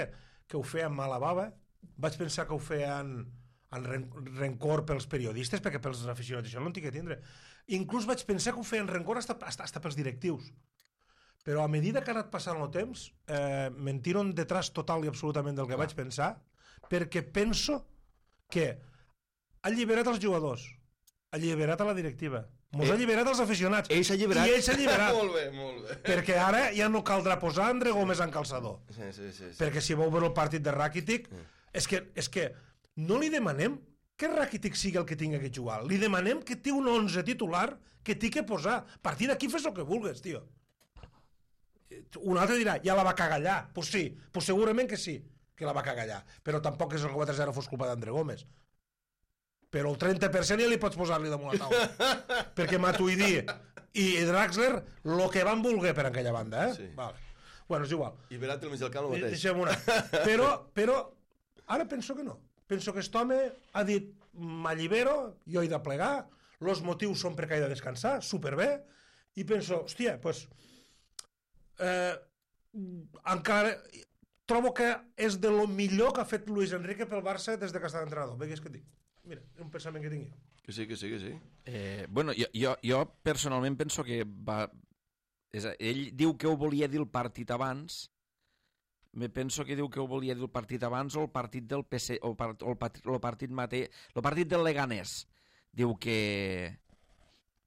que ho feien mala bava, vaig pensar que ho feien en ren rencor pels periodistes, perquè pels aficionats això no en tinc que tindre. Inclús vaig pensar que ho feien rencor hasta, hasta, hasta pels directius. Però a medida que ha anat passant el temps, eh, me'n tiro un detràs total i absolutament del que Clar. vaig pensar, perquè penso que ha alliberat els jugadors, ha alliberat a la directiva, mos Eh, ha alliberat els aficionats, Ell s'ha alliberat. i ell s'ha alliberat, molt bé, molt bé. perquè ara ja no caldrà posar André Gómez en calçador. Sí, sí, sí. sí. Perquè si vau veure el partit de Rakitic, és que, és que no li demanem que Rakitic sigui el que tinga que jugar. Li demanem que té un onze titular que té que posar. A partir d'aquí fes el que vulgues, tio. Un altre dirà, ja la va cagar allà. Doncs pues sí, pues segurament que sí, que la va cagar allà. Però tampoc és el quatre zero fos culpa d'André Gómez. Però el trenta per cent ja li pots posar-li damunt la taula. Perquè Matuidi i Draxler el que van voler per aquella banda, eh? Sí. Vale. Bueno, és igual. I Verratti al mig del camp el mateix. Deixem una. Però, però ara penso que no. Penso que aquest home ha dit m'allibero, jo he de plegar, els motius són perquè he de descansar, superbé, i penso, hòstia, doncs eh, encara trobo que és de lo millor que ha fet Luis Enrique pel Barça des de que està d'entrenador. Bé, què és que et dic? Mira, és un pensament que tinc jo. Que sí, que sí, que sí. Eh, bueno, jo, jo, jo personalment penso que va... És a, ell diu que ho volia dir el partit abans, me penso que diu que ho volia dir el partit abans o el partit del P S o, part, o el, partit, el partit mate, el partit del Leganés diu que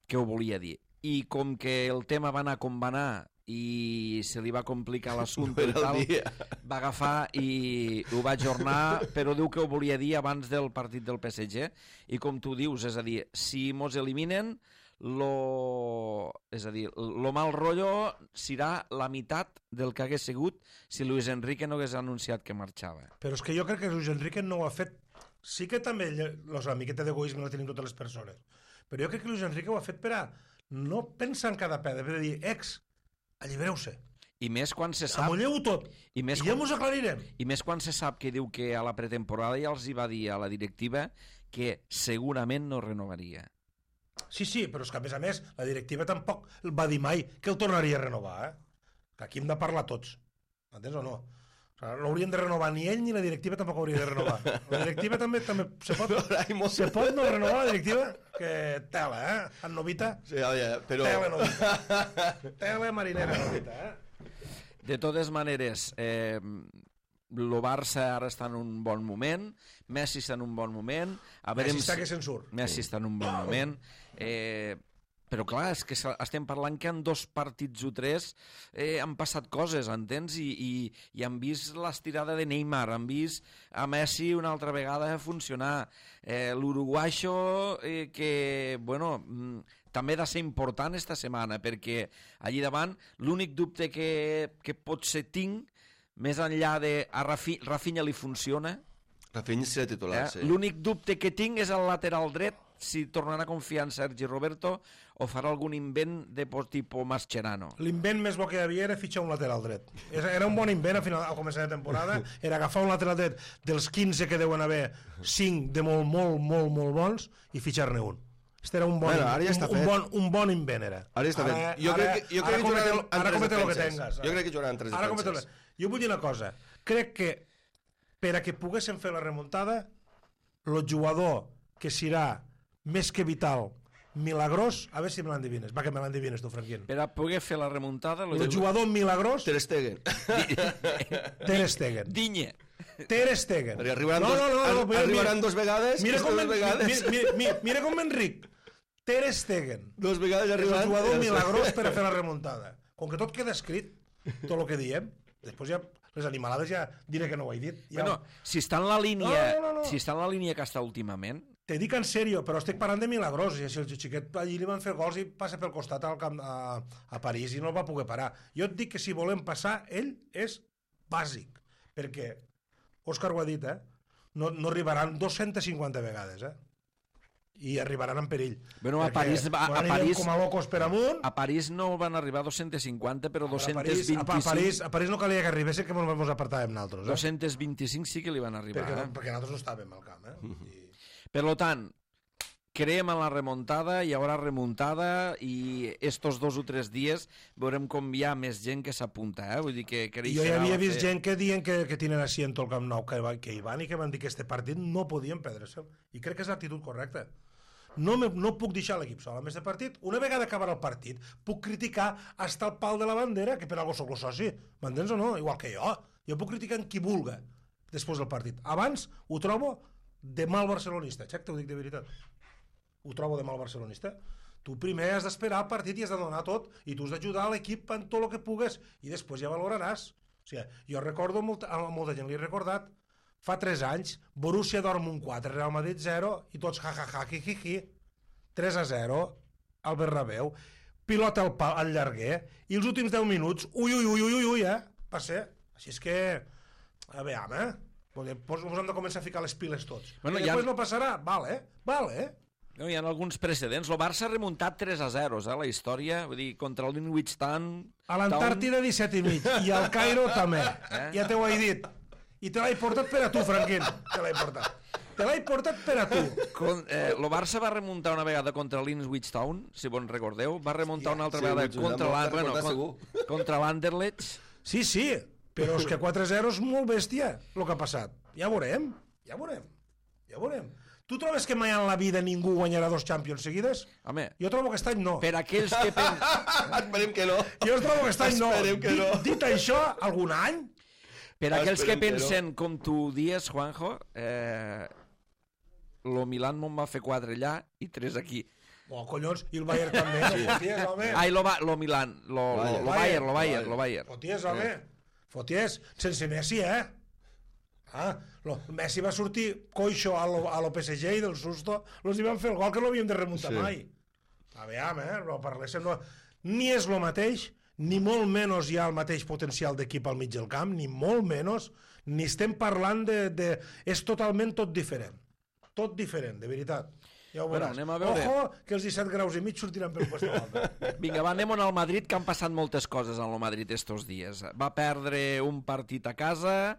que ho volia dir, i com que el tema va anar com va anar i se li va complicar l'assumpte No i tal, era el dia. va agafar i ho va ajornar, però diu que ho volia dir abans del partit del P S G, i com tu dius, és a dir, si mos eliminen lo, és a dir, lo mal rotllo serà la meitat del que hagués sigut si Luis Enrique no hagués anunciat que marxava. Però és que jo crec que Luis Enrique no ho ha fet... Sí que també la miqueta d'egoisme la tenim totes les persones, però jo crec que Luis Enrique ho ha fet per a no pensar en cada pedra, per a dir, ex, allibereu-se, I més quan se sap... amolleu-ho tot, I més, i ja quan, mos aclarirem. I més quan se sap que diu que a la pretemporada ja els hi va dir a la directiva que segurament no renovaria. Sí, sí, però és que a més a més la directiva tampoc va dir mai que el tornaria a renovar, eh? Que aquí hem de parlar tots, entens o no? O sigui, no haurien de renovar ni ell ni la directiva tampoc hauria de renovar. La directiva també, també se, pot, se pot no renovar la directiva, que tela, eh? En Novita, Sí, oye, però... tela Novita, tela marinera Novita, eh? De totes maneres, eh, el Barça ara està en un bon moment, Messi està en un bon moment, a veure Messi està que se'n surt. Messi està en un bon moment, eh, però clar, és que estem parlant que en dos partits o tres eh, han passat coses, entens? I, i, i han vist l'estirada de Neymar, han vist a Messi una altra vegada funcionar, eh, l'uruguaixo eh, que, bueno... Mm, també ha de ser important esta setmana, perquè allí davant l'únic dubte que, que potser tinc, més enllà de a Rafi, Rafinha li funciona, Rafinha serà titular, eh? sí. L'únic dubte que tinc és el lateral dret, si tornarà a confiar en Sergi Roberto o farà algun invent de tipus Mascherano. L'invent més bo que hi havia era fitxar un lateral dret. Era un bon invent al, final, al començar de temporada, era agafar un lateral dret dels quinze que deuen haver, cinc de molt, molt, molt, molt bons i fitxar-ne un. Este era un bon, bueno, ara ja està un, un, fet. bon, un bon invent era. Ara ja està ara, fet. Jo ara, crec que, jo crec que comete, jugaran en ara tres comete lo que defenses. tengas. Jo crec que jugaran en tres ara defenses. Jo vull dir una cosa. Crec que per a que poguessin fer la remuntada, el jugador que serà més que vital, milagrós, a veure si me l'endivines. Va, que me l'endivines tu, Franquín. Per a poder fer la remuntada... El jugador milagrós, Ter Stegen. Ter Stegen. Digne. Ter Stegen. Perquè arribaran, no, dos, no, no, no, mira, arribaran mira, dos vegades. mira com, dos vegades. mira, mira, mira com Enric. Ter Stegen. Dos vegades És arribaran. un jugador milagrós per a fer la remuntada. Com que tot queda escrit, tot el que diem, després ja les animalades ja diré que no ho he dit. Ja... Bueno, si està en la línia, No, no, no, no. si està en la línia que està últimament, te dic en sèrio, però estic parlant de Milagrós, i si el xiquet allí li van fer gols i passa pel costat al camp, a, a París i no el va poder parar. Jo et dic que si volem passar, ell és bàsic, perquè, Òscar ho ha dit, eh? no, no arribaran dues-centes cinquanta vegades, eh? I arribaran en perill. Bueno, a París, a, a, París, com a locos per amunt. A París no van arribar dues-centes cinquanta, però dues-centes vint-i-cinc... A París, a París no calia que arribessin, que ens apartàvem nosaltres. Eh? dues-centes vint-i-cinc sí que li van arribar. Perquè, eh? perquè nosaltres no estàvem al camp. Eh? I... Per tant, creem en la remuntada, hi haurà remuntada i estos dos o tres dies veurem com hi ha més gent que s'apunta. Eh? Vull dir que, que jo ja havia vist gent que diuen que, que tenen asiento al Camp Nou, que, que hi van i que van dir que este partit no podien perdre-se'l. I crec que és l'actitud correcta. No, me, no puc deixar l'equip sol amb aquest partit. Una vegada acabarà el partit, puc criticar hasta el pal de la bandera, que per algo soc el soci. M'entens o no? Igual que jo. Jo puc criticar en qui vulga després del partit. Abans ho trobo de mal barcelonista. Xec, t'ho dic de veritat. Ho trobo de mal barcelonista. Tu primer has d'esperar el partit i has de donar tot, i tu has d'ajudar l'equip en tot el que pugues, i després ja valoraràs. O sigui, jo recordo, molt, a molta gent li he recordat, fa tres anys, Borussia Dortmund quatre, Real Madrid zero, i tots ja, ja, ja, hi, hi, hi. tres a zero, al Bernabéu, pilota al, pal, al llarguer, i els últims deu minuts, ui, ui, ui, ui, ui, eh? Va ser. Així és que, a veure, eh? Ens hem de començar a ficar les piles tots. Bueno, I després ha... no passarà? Val, eh? Val, eh? No, hi ha alguns precedents. El Barça ha remuntat tres a zero, eh, la història. Vull dir, contra el Greenwich Town... A l'Antàrtida disset i mig, i al Cairo també. Eh? Ja t'ho he dit. I te l'he portat per a tu, Franquín. Te l'he portat. Te l'he portat per a tu. Con, eh, el Barça va remuntar una vegada contra l'Ipswich Town, si vos recordeu. Va remuntar una altra sí, vegada contra, la, bueno, con, contra l'Anderlecht. Sí, sí, però és que quatre a zero és molt bèstia el que ha passat. Ja veurem, ja veurem, ja veurem. Tu trobes que mai en la vida ningú guanyarà dos Champions seguides? Home, jo trobo que aquest any no. Per aquells que... Pen... Esperem que no. Jo trobo que aquest any no. Que no. Dit, dit això, algun any... Per aquells que pensen, com tu dies, Juanjo, eh, lo Milan me'n va fer quatre allà i tres aquí. Oh, collons, i el Bayern també. Sí. Foties, home. Ai, lo, lo Milan, lo, lo, lo Bayern, lo Bayern, lo Bayern. Foties, home. Foties, sense Messi, eh? Ah, lo, Messi va sortir coixo a lo, a lo P S G i del susto los hi van fer el gol que no havíem de remuntar sí. mai. A veure, eh? No parléssim, no. Ni és lo mateix, ni molt menys hi ha el mateix potencial d'equip al mig del camp, ni molt menys, ni estem parlant de... de... És totalment tot diferent. Tot diferent, de veritat. Ja ho veuràs. Bueno, veure. Ojo, que els disset graus i mig sortiran pel costat. Vinga, va, anem al Madrid, que han passat moltes coses en el Madrid estos dies. Va perdre un partit a casa,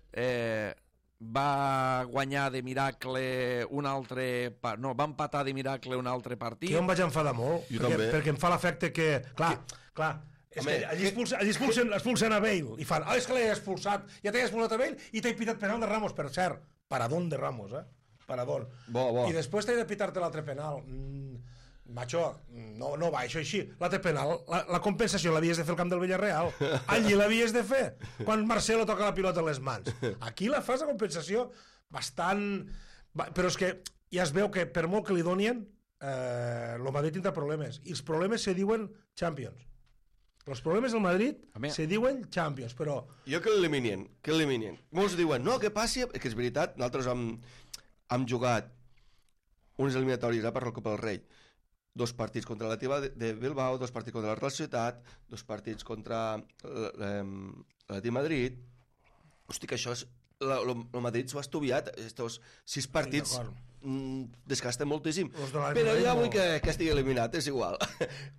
eh, va guanyar de miracle un altre... No, va empatar de miracle un altre partit. Que jo em vaig enfadar molt, perquè, perquè em fa l'efecte que... Clar, que... clar, és Home, que allí, expulsen, allí expulsen, expulsen a Bale i fan, ah, és que l'he expulsat, ja t'he expulsat a Bale i t'he pitat penal de Ramos, per cert, paradón de Ramos, eh? Paradón. Bo, bo. I després t'he de pitar-te l'altre penal. Mm, macho, no, no va, això així. L'altre penal, la, la compensació l'havies de fer al camp del Villarreal. Allí l'havies de fer, quan Marcelo toca la pilota a les mans. Aquí la fas, la compensació, bastant... Però és que ja es veu que per molt que li donien, eh, el Madrid tindrà problemes. I els problemes se diuen Champions. Els problemes del Madrid se diuen Champions, però... Jo que l'eliminen, que l'eliminen. Molts diuen, no, que passi... Que és veritat, nosaltres hem, hem jugat unes eliminatòries eh, per la Copa del Rei. Dos partits contra la Tiva de Bilbao, dos partits contra la Real Societat, dos partits contra l'Atlètic de Madrid. Hosti, que això és... El Madrid s'ho ha estudiat, estos sis partits... Mm, desgasten moltíssim, però ja vull que, que estigui eliminat, és igual.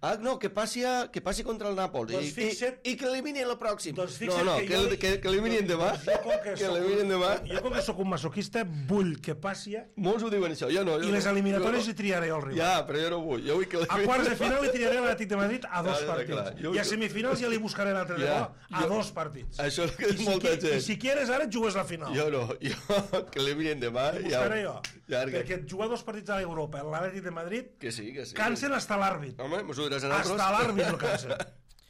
Ah, no, que passi, a, que passi contra el Nàpols doncs i, fixa't, i, i que elimini el pròxim. Doncs no, no, que, que, que, que eliminin demà. Que, que eliminin demà. Jo com que sóc un masoquista vull que passi... Molts ho diuen això, jo no. Jo I les no, eliminatòries no. li triaré al rival. Ja, però jo no vull. Jo vull que a quarts de final li triaré a l'Atlètic de Madrid a dos ja, partits. Jo, I a semifinals ja li buscaré l'altre ja, de bo a dos partits. Això és que és molta gent. I si quieres ara et jugues la final. Jo no, jo que eliminin demà... Li buscaré jo. Perquè jugar dos partits a Europa, l'Atlètic de Madrid, que sí, que sí, cansen que sí. hasta l'àrbit. Home, mos ho diràs a nosaltres. Hasta l'àrbit el cansen.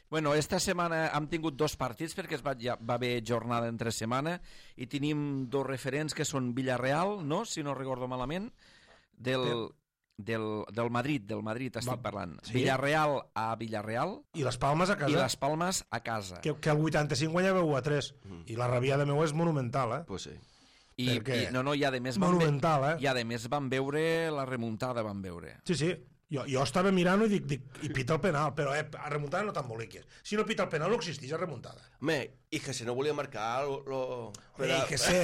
Bueno, esta setmana hem tingut dos partits perquè es va, ja, va haver jornada entre setmana i tenim dos referents que són Villarreal, no? Si no recordo malament, del, del, del Madrid, del Madrid estic va, parlant. Sí? Villarreal a Villarreal. I les Palmes a casa. I les Palmes a casa. Que, que el vuitanta-cinc guanyava u a tres. Mm. I la rabiada meu és monumental, eh? Pues sí. I, Perquè i, no, no, i a més van monumental, eh? I a més van veure la remuntada, van veure. Sí, sí. Jo, jo estava mirant i dic, dic, i pita el penal, però eh, a remuntada no t'emboliques. Si no pita el penal no existeix a remuntada. Home, i que se no volia marcar... Lo, lo... I que sé,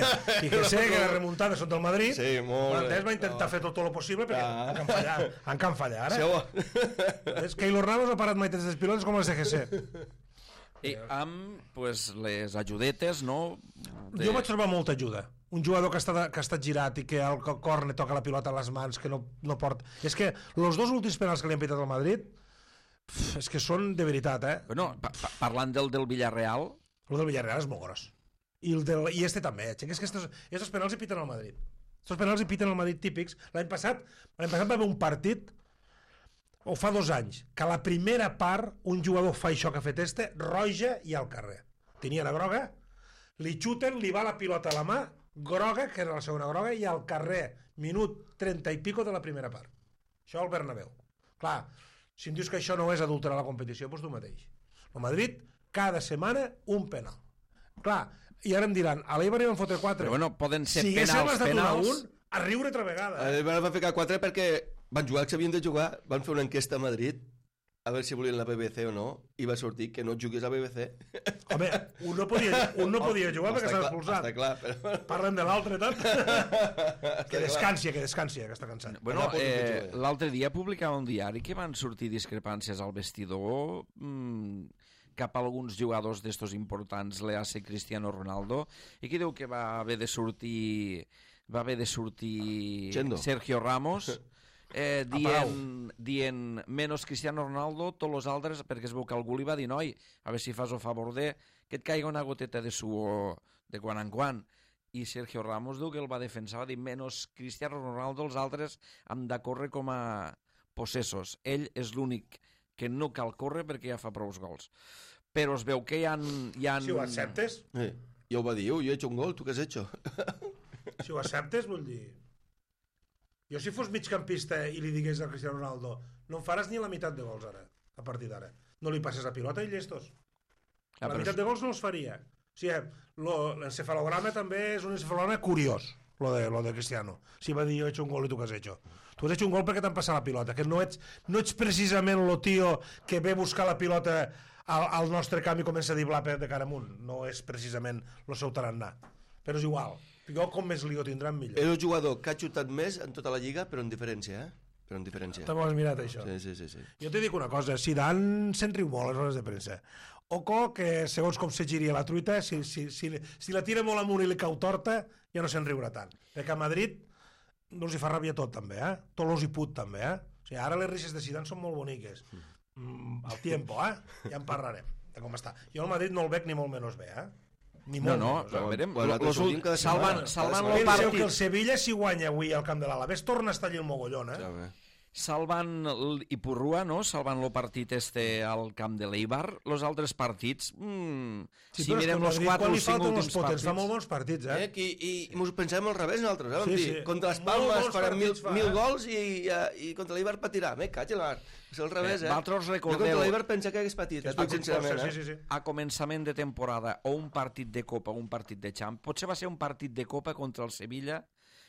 i que sé que les remuntades són del Madrid, sí, molt l'Andès va intentar fer tot el possible perquè ah. han can fallar, han can fallar, eh? És que Keylor Ramos ha parat mai aquestes pilotes com les de G C. I amb pues, les ajudetes, no? De... Jo vaig trobar molta ajuda. Un jugador que està, que ha estat girat i que al córner toca la pilota a les mans, que no, no porta... És que els dos últims penals que li han pitat al Madrid, pf, és que són de veritat, eh? Bueno, pa pa parlant del del Villarreal... El del Villarreal és molt gros. I, el del, i este també, eh? És que estos, estos penals hi piten al Madrid. Estos penals hi piten al Madrid típics. L'any passat, l'any passat va haver un partit, o fa dos anys, que a la primera part un jugador fa això que ha fet este, roja i al carrer. Tenia la groga, li xuten, li va la pilota a la mà, groga, que era la segona groga, i al carrer, minut trenta i pico de la primera part. Això al Bernabéu. Clar, si em dius que això no és adulterar la competició, doncs tu mateix. El Madrid, cada setmana, un penal. Clar, i ara em diran, a l'Eibar hi van fotre quatre. Però bueno, poden ser si penals, penals... Un, a riure altra vegada. Eh? L'Eibar va ficar quatre perquè van jugar que s'havien de jugar, van fer una enquesta a Madrid, a veure si volien la B B C o no, i va sortir que no jugués a B B C. Home, un no podia, un no podia jugar perquè s'ha expulsat. Està clar, però... Parlem de l'altre, tant. Que descansi, que descansi, que està cansat. Bueno, eh, l'altre dia publicava un diari que van sortir discrepàncies al vestidor mmm, cap a alguns jugadors d'estos importants, l'E A C Cristiano Ronaldo, i que diu que va haver de sortir va haver de sortir Chendo. Sergio Ramos eh, dient, dient menos Cristiano Ronaldo, tots els altres, perquè es veu que algú li va dir, noi, a veure si fas el favor de que et caiga una goteta de suor de quan en quan. I Sergio Ramos diu que el va defensar, va dir menos Cristiano Ronaldo, els altres han de córrer com a possessos. Ell és l'únic que no cal córrer perquè ja fa prou gols. Però es veu que hi ha... Hi ha... Si ho acceptes... Sí. Ja ho va dir, jo he hecho un gol, tu què has hecho? Si ho acceptes, vull dir... Jo si fos migcampista i li digués a Cristiano Ronaldo no em faràs ni la meitat de gols ara, a partir d'ara. No li passes la pilota i llestos. La ah, meitat de gols no els faria. O sigui, l'encefalograma també és un encefalograma curiós, lo de, lo de Cristiano. Si va dir jo he hecho un gol i tu què has hecho. Tu has hecho un gol perquè t'han passat la pilota, que no ets, no ets precisament lo tio que ve buscar la pilota al, al nostre camp i comença a diblar de cara amunt. No és precisament lo seu tarannà. Però és igual. Jo com més lío tindran millor. És el jugador que ha xutat més en tota la lliga, però en diferència, eh? Però en diferència. També ho has mirat, això. Sí, sí, sí, sí. Jo t'he dic una cosa, Zidane se'n riu molt a les hores de premsa. Oco, que segons com se giria la truita, si, si, si, si la tira molt amunt i li cau torta, ja no se'n riurà tant. Perquè a Madrid no els hi fa ràbia tot, també, eh? Tot els hi put, també, eh? O sigui, ara les risses de Zidane són molt boniques. Mm, al tiempo, eh? Ja en parlarem de com està. Jo al Madrid no el veig ni molt menys bé, eh? Ni no, no, menys, no, verem. Bueno, Los, los, salvan, salvan el partit. partit. Que el Sevilla, si guanya avui al camp de l'Alavés, torna a estar allí el mogollón, eh? Ja, Salvan Ipurrua, no? Salvan el partit este al camp de l'Eibar. Els altres partits, mmm, sí, si mirem els quatre o cinc últims partits... Fa molt bons partits, eh? eh? I, i, i mos pensem al revés nosaltres, eh? Sí, Sí, sí. Contra les Palmes faran mil, fa, mil eh? gols i, i, i contra l'Eibar patirà. Me caig el mar. És al revés, eh? Vosaltres Jo recordeu... contra l'Eibar pensa que hagués patit, eh? Tot sincerament, sí, sí, sí. A començament de temporada, o un partit de Copa o un partit de Champ, potser va ser un partit de Copa contra el Sevilla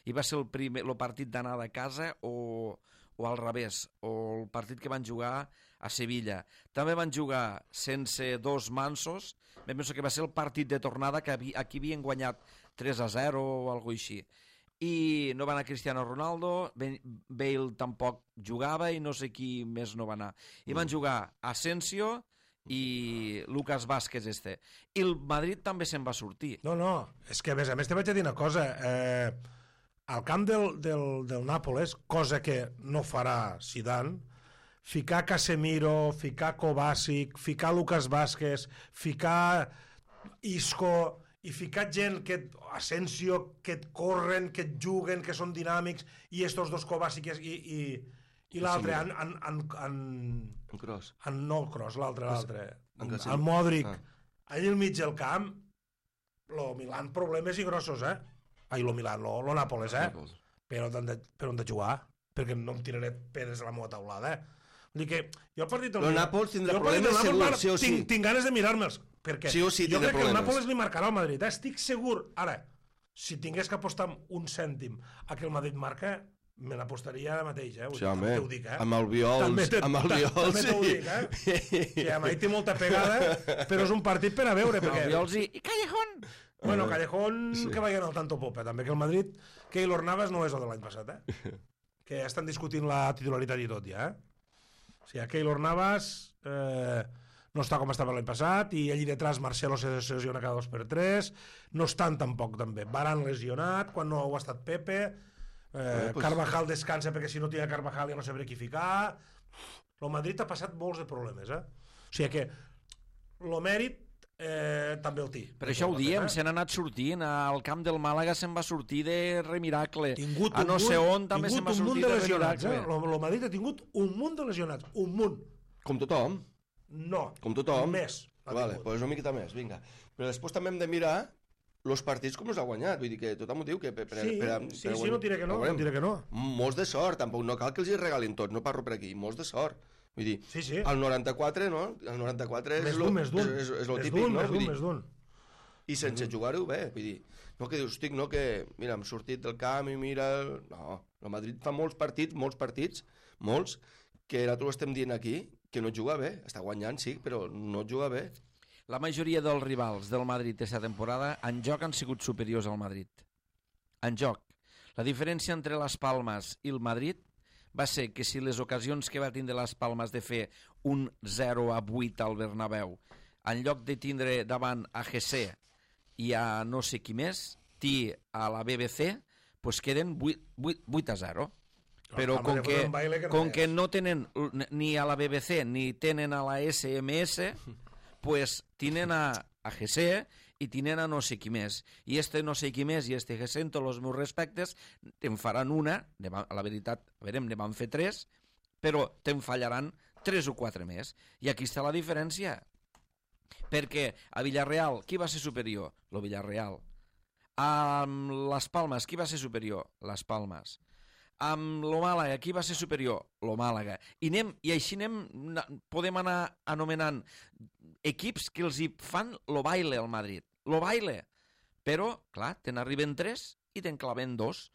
i va ser el, primer, el partit d'anada a casa o... o al revés, o el partit que van jugar a Sevilla. També van jugar sense dos mansos, em penso que va ser el partit de tornada que aquí havien guanyat tres a zero o alguna cosa així. I no va anar Cristiano Ronaldo, Bale tampoc jugava i no sé qui més no va anar. I van jugar Asensio i Lucas Vázquez este. I el Madrid també se'n va sortir. No, no, és que a més a més te vaig a dir una cosa... Eh... Al camp del, del, del Nàpoles, cosa que no farà Zidane, ficar Casemiro, ficar Kovacic, ficar Lucas Vázquez, ficar Isco i ficar gent que et, Asensio, que et corren, que et juguen, que són dinàmics, i estos dos Kovacic i, i, i l'altre, en, en, en, en, en Kroos. En, no el Kroos, l'altre, l'altre. En El Modric. Ah. Allà al mig del camp, lo Milan problemes i grossos, eh? Ai, lo Milan, lo, lo Nàpoles, eh? Nàpoles. Però on de, per on de jugar? Perquè no em tiraré pedres a la meva taulada, eh? Vull dir que jo el partit del Lo Nàpoles tindrà problemes segur, sí o sí. Tinc, tinc ganes de mirar-me'ls, perquè sí o sí jo crec problemes. que el Nàpoles li marcarà al Madrid, eh? Estic segur, ara, si tingués que apostar un cèntim a que el Madrid marca, me n'apostaria ara mateix, eh? Sí, home, t'ho dic, eh? amb el Viols, també te, amb el Viols, també t'ho sí. dic, eh? Sí, amb ell té molta pegada, però és un partit per a veure, perquè... El Viols i, i Callejón! Bueno, Callejón, sí. Que vagin al tanto popa, també, que el Madrid, Keylor Navas no és el de l'any passat, eh? Que ja estan discutint la titularitat i tot, ja, eh? O sigui, Keylor Navas eh, no està com estava l'any passat, i allí detrás Marcelo se lesiona cada dos per tres, no estan tampoc, també. Varane lesionat, quan no ho ha estat Pepe, eh, eh, pues... Carvajal descansa perquè si no tira Carvajal ja no sabré qui ficar. El Madrid ha passat molts de problemes, eh? O sigui que el mèrit Eh, també el té. Per això ho diem, se n'ha anat sortint. Al camp del Màlaga se'n va sortir de remiracle. A no sé on també se'n va sortir de remiracle. El Madrid ha tingut un munt de lesionats. Un munt. Com tothom? No. Com tothom? Més. Vale, doncs una miqueta més, vinga. Però després també hem de mirar els partits com els ha guanyat. Vull dir que tothom ho diu que... Per, per, sí, per, sí, per, sí, no diré que no, no diré que no. Molts de sort, tampoc no cal que els hi regalin tot, no parlo per aquí, molts de sort. Vull dir, sí, sí. el noranta-quatre, no? El noranta-quatre és el típic, d'un, no? Més d'un, més d'un. I sense jugar-ho bé, vull dir, no que dius, estic, no, que, mira, hem sortit del camp i mira... No, el Madrid fa molts partits, molts partits, molts, que nosaltres estem dient aquí, que no juga bé, està guanyant, sí, però no juga bé. La majoria dels rivals del Madrid aquesta temporada en joc han sigut superiors al Madrid. En joc. La diferència entre les Palmes i el Madrid va ser que si les ocasions que va tindre les Palmes de fer un zero a vuit al Bernabéu, en lloc de tindre davant a G C i a no sé qui més, T a la B B C, pues queden vuit a zero. Però com que, com que no tenen ni a la B B C ni tenen a la S M S, pues tenen a, a G C i tenen a no sé qui més. I este no sé qui més i este G C, en tots els meus respectes, te'n faran una, a la veritat, a veure, ne van fer tres, però te'n fallaran tres o quatre més. I aquí està la diferència. Perquè a Villarreal, qui va ser superior? Lo Villarreal. A les Palmes, qui va ser superior? Les Palmes. Amb lo Màlaga, qui va ser superior? Lo Màlaga. I, anem, i així anem, podem anar anomenant equips que els hi fan lo baile al Madrid. Lo baile. Però, clar, te n'arriben tres i te'n claven dos.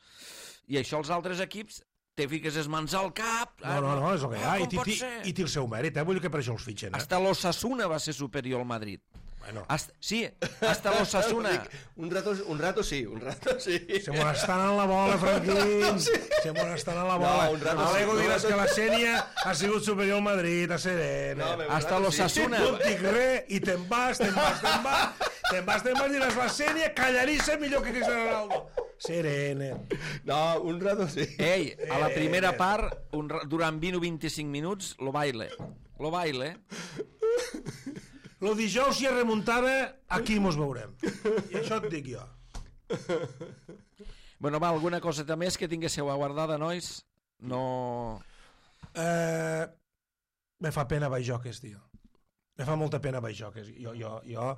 I això els altres equips te fiques les mans al cap... No, no, no, és el que hi ha. I, i, i té el seu mèrit, eh? Vull dir que per això els fitxen. Eh? Hasta l'Osasuna va ser superior al Madrid. Bueno. Hasta, sí, hasta l'Osasuna. un, rato, un rato sí, un rato sí. Se molestan en la bola, Franquín. Sí. Se molestan en la bola. No, un rato a l'ego sí. diràs que la Sènia ha sigut superior al Madrid, a Serena. No, hasta l'Osasuna. No et dic res i te'n vas, te'n vas, te'n vas. Te'n vas, te'n vas, diràs la Sènia, callarissa millor que Cristiano Ronaldo. Serena. No, un rato sí. Ei, a la primera part, un, durant vint o vint-i-cinc minuts, lo baile. Lo baile. Lo dijous si es remuntava, aquí mos veurem. I això et dic jo. Bueno, va, alguna coseta més que tinguéssiu aguardada, nois? No... Eh, me fa pena Baixoques, tio. Me fa molta pena Baixoques. Jo, jo, jo...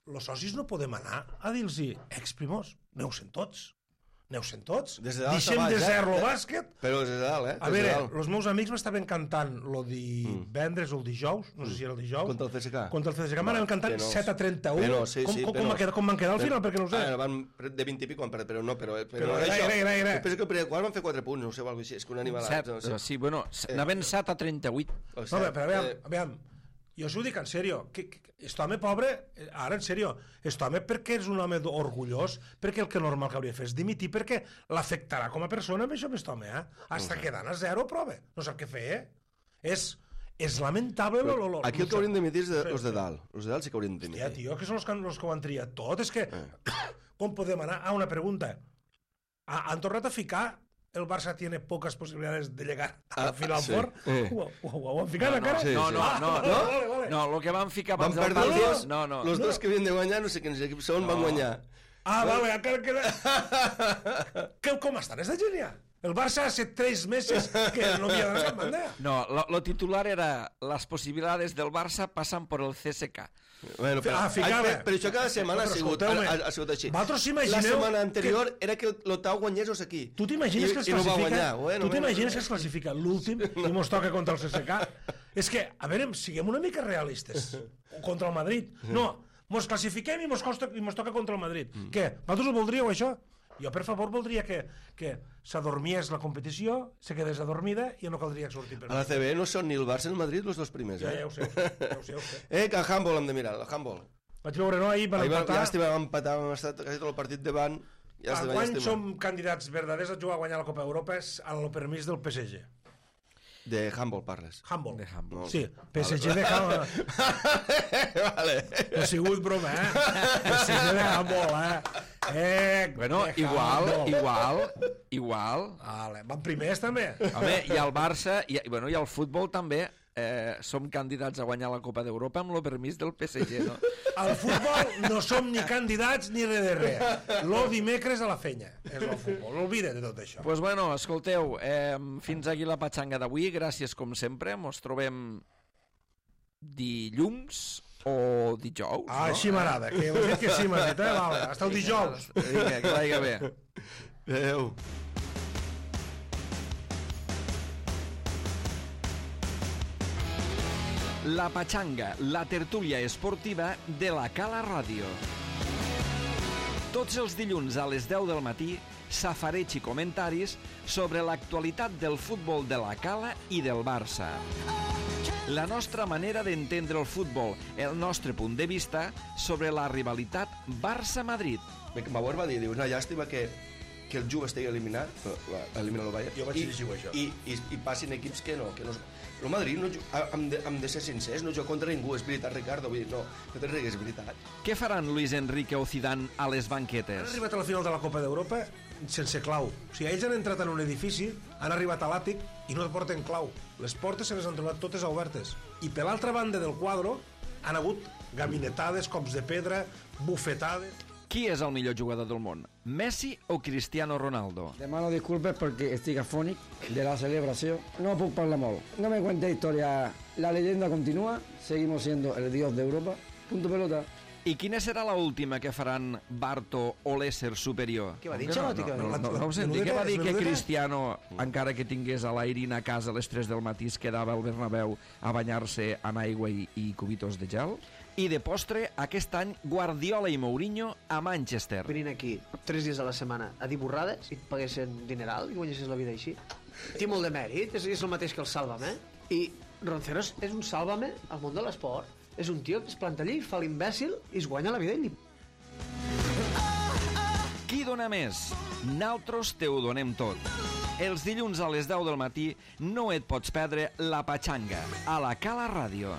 Los socis no podem anar a dir-los exprimos, aneu-se'n tots. Aneu-se'n tots. Deixem de zero el bàsquet. Però des de dalt, eh? A veure, els meus amics m'estaven cantant lo divendres o el dijous, no sé si era el dijous. Contra el C S K. Contra el C S K m'anaven cantant set a trenta-u. Però, sí, com, sí, com, però... com, quedar, com van quedar al final, perquè no ho sé. Ah, van de vint i pico, però no, però... Però era, era, era, era. Penso que el primer quart van fer quatre punts, no sé, o alguna cosa així. És que un animalat... set, sí, bueno, anaven set a trenta-vuit. No, però aviam, aviam. Jo us ho dic en sèrio, que, que, este home pobre, ara en sèrio, este home perquè és un home orgullós, perquè el que normal que hauria de fer és dimitir, perquè l'afectarà com a persona amb això, aquest home, eh? Hasta quedant a zero, prova, no sap què fer, eh? És, és lamentable... Lo, lo, lo, aquí el que haurien de dimitir és els de dalt, els de dalt sí que haurien de dimitir. Hòstia, tio, que són els que, els que ho han triat tot, és que, eh. com podem anar? Ah, una pregunta, ha, han tornat a ficar... El Barça tiene pocas posibilidades de llegar a la final sí. fort. Eh. Ho, ho, ho han ficat no, encara? Sí, no, no, ah, no, vale, no, vale, vale. no, el que van ficar abans van del perdre partit... dos, no, no. Los no. dos que havien de guanyar, no sé quins equips són, no. van guanyar. Ah, vale, encara queda... que, com estan, és de genial. El Barça hace tres meses que no havia de cap banda. No, lo, lo titular era las posibilidades del Barça pasan por el C S K. Bueno, però, ah, ai, per, però això cada setmana ha sigut, ha, ha sigut així. Vosaltres s'imagineu... La setmana anterior que... era que l'Otau guanyés o aquí. Tu t'imagines que es no classifica... bueno, tu t'imagines que es classifica l'últim i mos toca contra el C S K? És que, a veure, siguem una mica realistes. Contra el Madrid. No, mos classifiquem i mos, costa, i mos toca contra el Madrid. Mm. Què? Vosaltres ho voldríeu, això? Jo, per favor, voldria que, que s'adormies la competició, se quedés adormida i no caldria sortir per A la C B no són ni el Barça ni el Madrid els dos primers, ja, eh? ja ho sé, ja ho sé, ja ho sé. Eh, que a handball hem de mirar, el handball. Vaig veure, no? Ahir van Ahir empatar. llàstima, vam empatar, vam estar quasi tot el partit davant. Llàstima, Quan llàstima. som candidats verdaders a jugar a guanyar la Copa d'Europa és al permís del P S G. De handball parles. Handball. De handball. Sí, P S G de handball. Vale. No ha sigut broma, eh? P S G de handball, eh? Eh, Bueno, de igual, handball. igual, igual. Vale. Van primers, també. Home, i el Barça, i, bueno, i el futbol també, eh, som candidats a guanyar la Copa d'Europa amb el permís del P S G, no? Al futbol no som ni candidats ni res de res. Lo dimecres a la fenya és el futbol. L'oblida de tot això. Pues bueno, escolteu, eh, fins aquí la patxanga d'avui. Gràcies, com sempre. Mos trobem dilluns o dijous, Ah, no? així m'agrada. Que heu dit que sí, m'has dit, eh? Vale, hasta el dijous. Vinga, que vagi bé. Adéu. La Patxanga, la tertúlia esportiva de la Cala Ràdio. Tots els dilluns a les deu del matí, safareig i comentaris sobre l'actualitat del futbol de la Cala i del Barça. La nostra manera d'entendre el futbol, el nostre punt de vista sobre la rivalitat Barça-Madrid. Bauer va dir, diu, una llàstima que, que el Juve estigui eliminat, elimina el Bayern, Jo vaig i, llegir això. i, i, i passin equips que no, que no... El Madrid, no, hem, de, hem de ser sincers, no juga contra ningú, és veritat, Ricardo, vull dir, no, no te rigues, és veritat. Què faran Luis Enrique o Zidane a les Han banquetes? arribat a la final de la Copa d'Europa sense clau. O sigui, ells han entrat en un edifici, han arribat a l'àtic i no porten clau. Les portes se les han trobat totes obertes. I per l'altra banda del quadre han hagut gabinetades, cops de pedra, bufetades... Qui és el millor jugador del món? Messi o Cristiano Ronaldo? Demano disculpes porque estoy afónic de la celebración. No puc parlar molt. No me cuente historia. La leyenda continúa. Seguimos siendo el dios de Europa. Punto pelota. I quina serà la última que faran Barto o l'ésser superior? Què va dir, No, no, Ancelotti, que va no, dir? no, no, no ho senti. Què va dir que Cristiano, encara que tingués a l'Airin a casa a les tres del matí, es quedava al Bernabéu a banyar-se en aigua i, i cubitos de gel? I de postre, aquest any, Guardiola i Mourinho a Manchester. Venint aquí tres dies a la setmana a dir borrades i et paguessin dineral i guanyessis la vida així. Té molt de mèrit, és, és el mateix que el Sálvame. I Ronceros és un Sálvame al món de l'esport. És un tio que es planta allí, fa l'imbècil i es guanya la vida ell. Qui dona més? Naltros te ho donem tot. Els dilluns a les deu del matí no et pots perdre la Patxanga a la Cala Ràdio.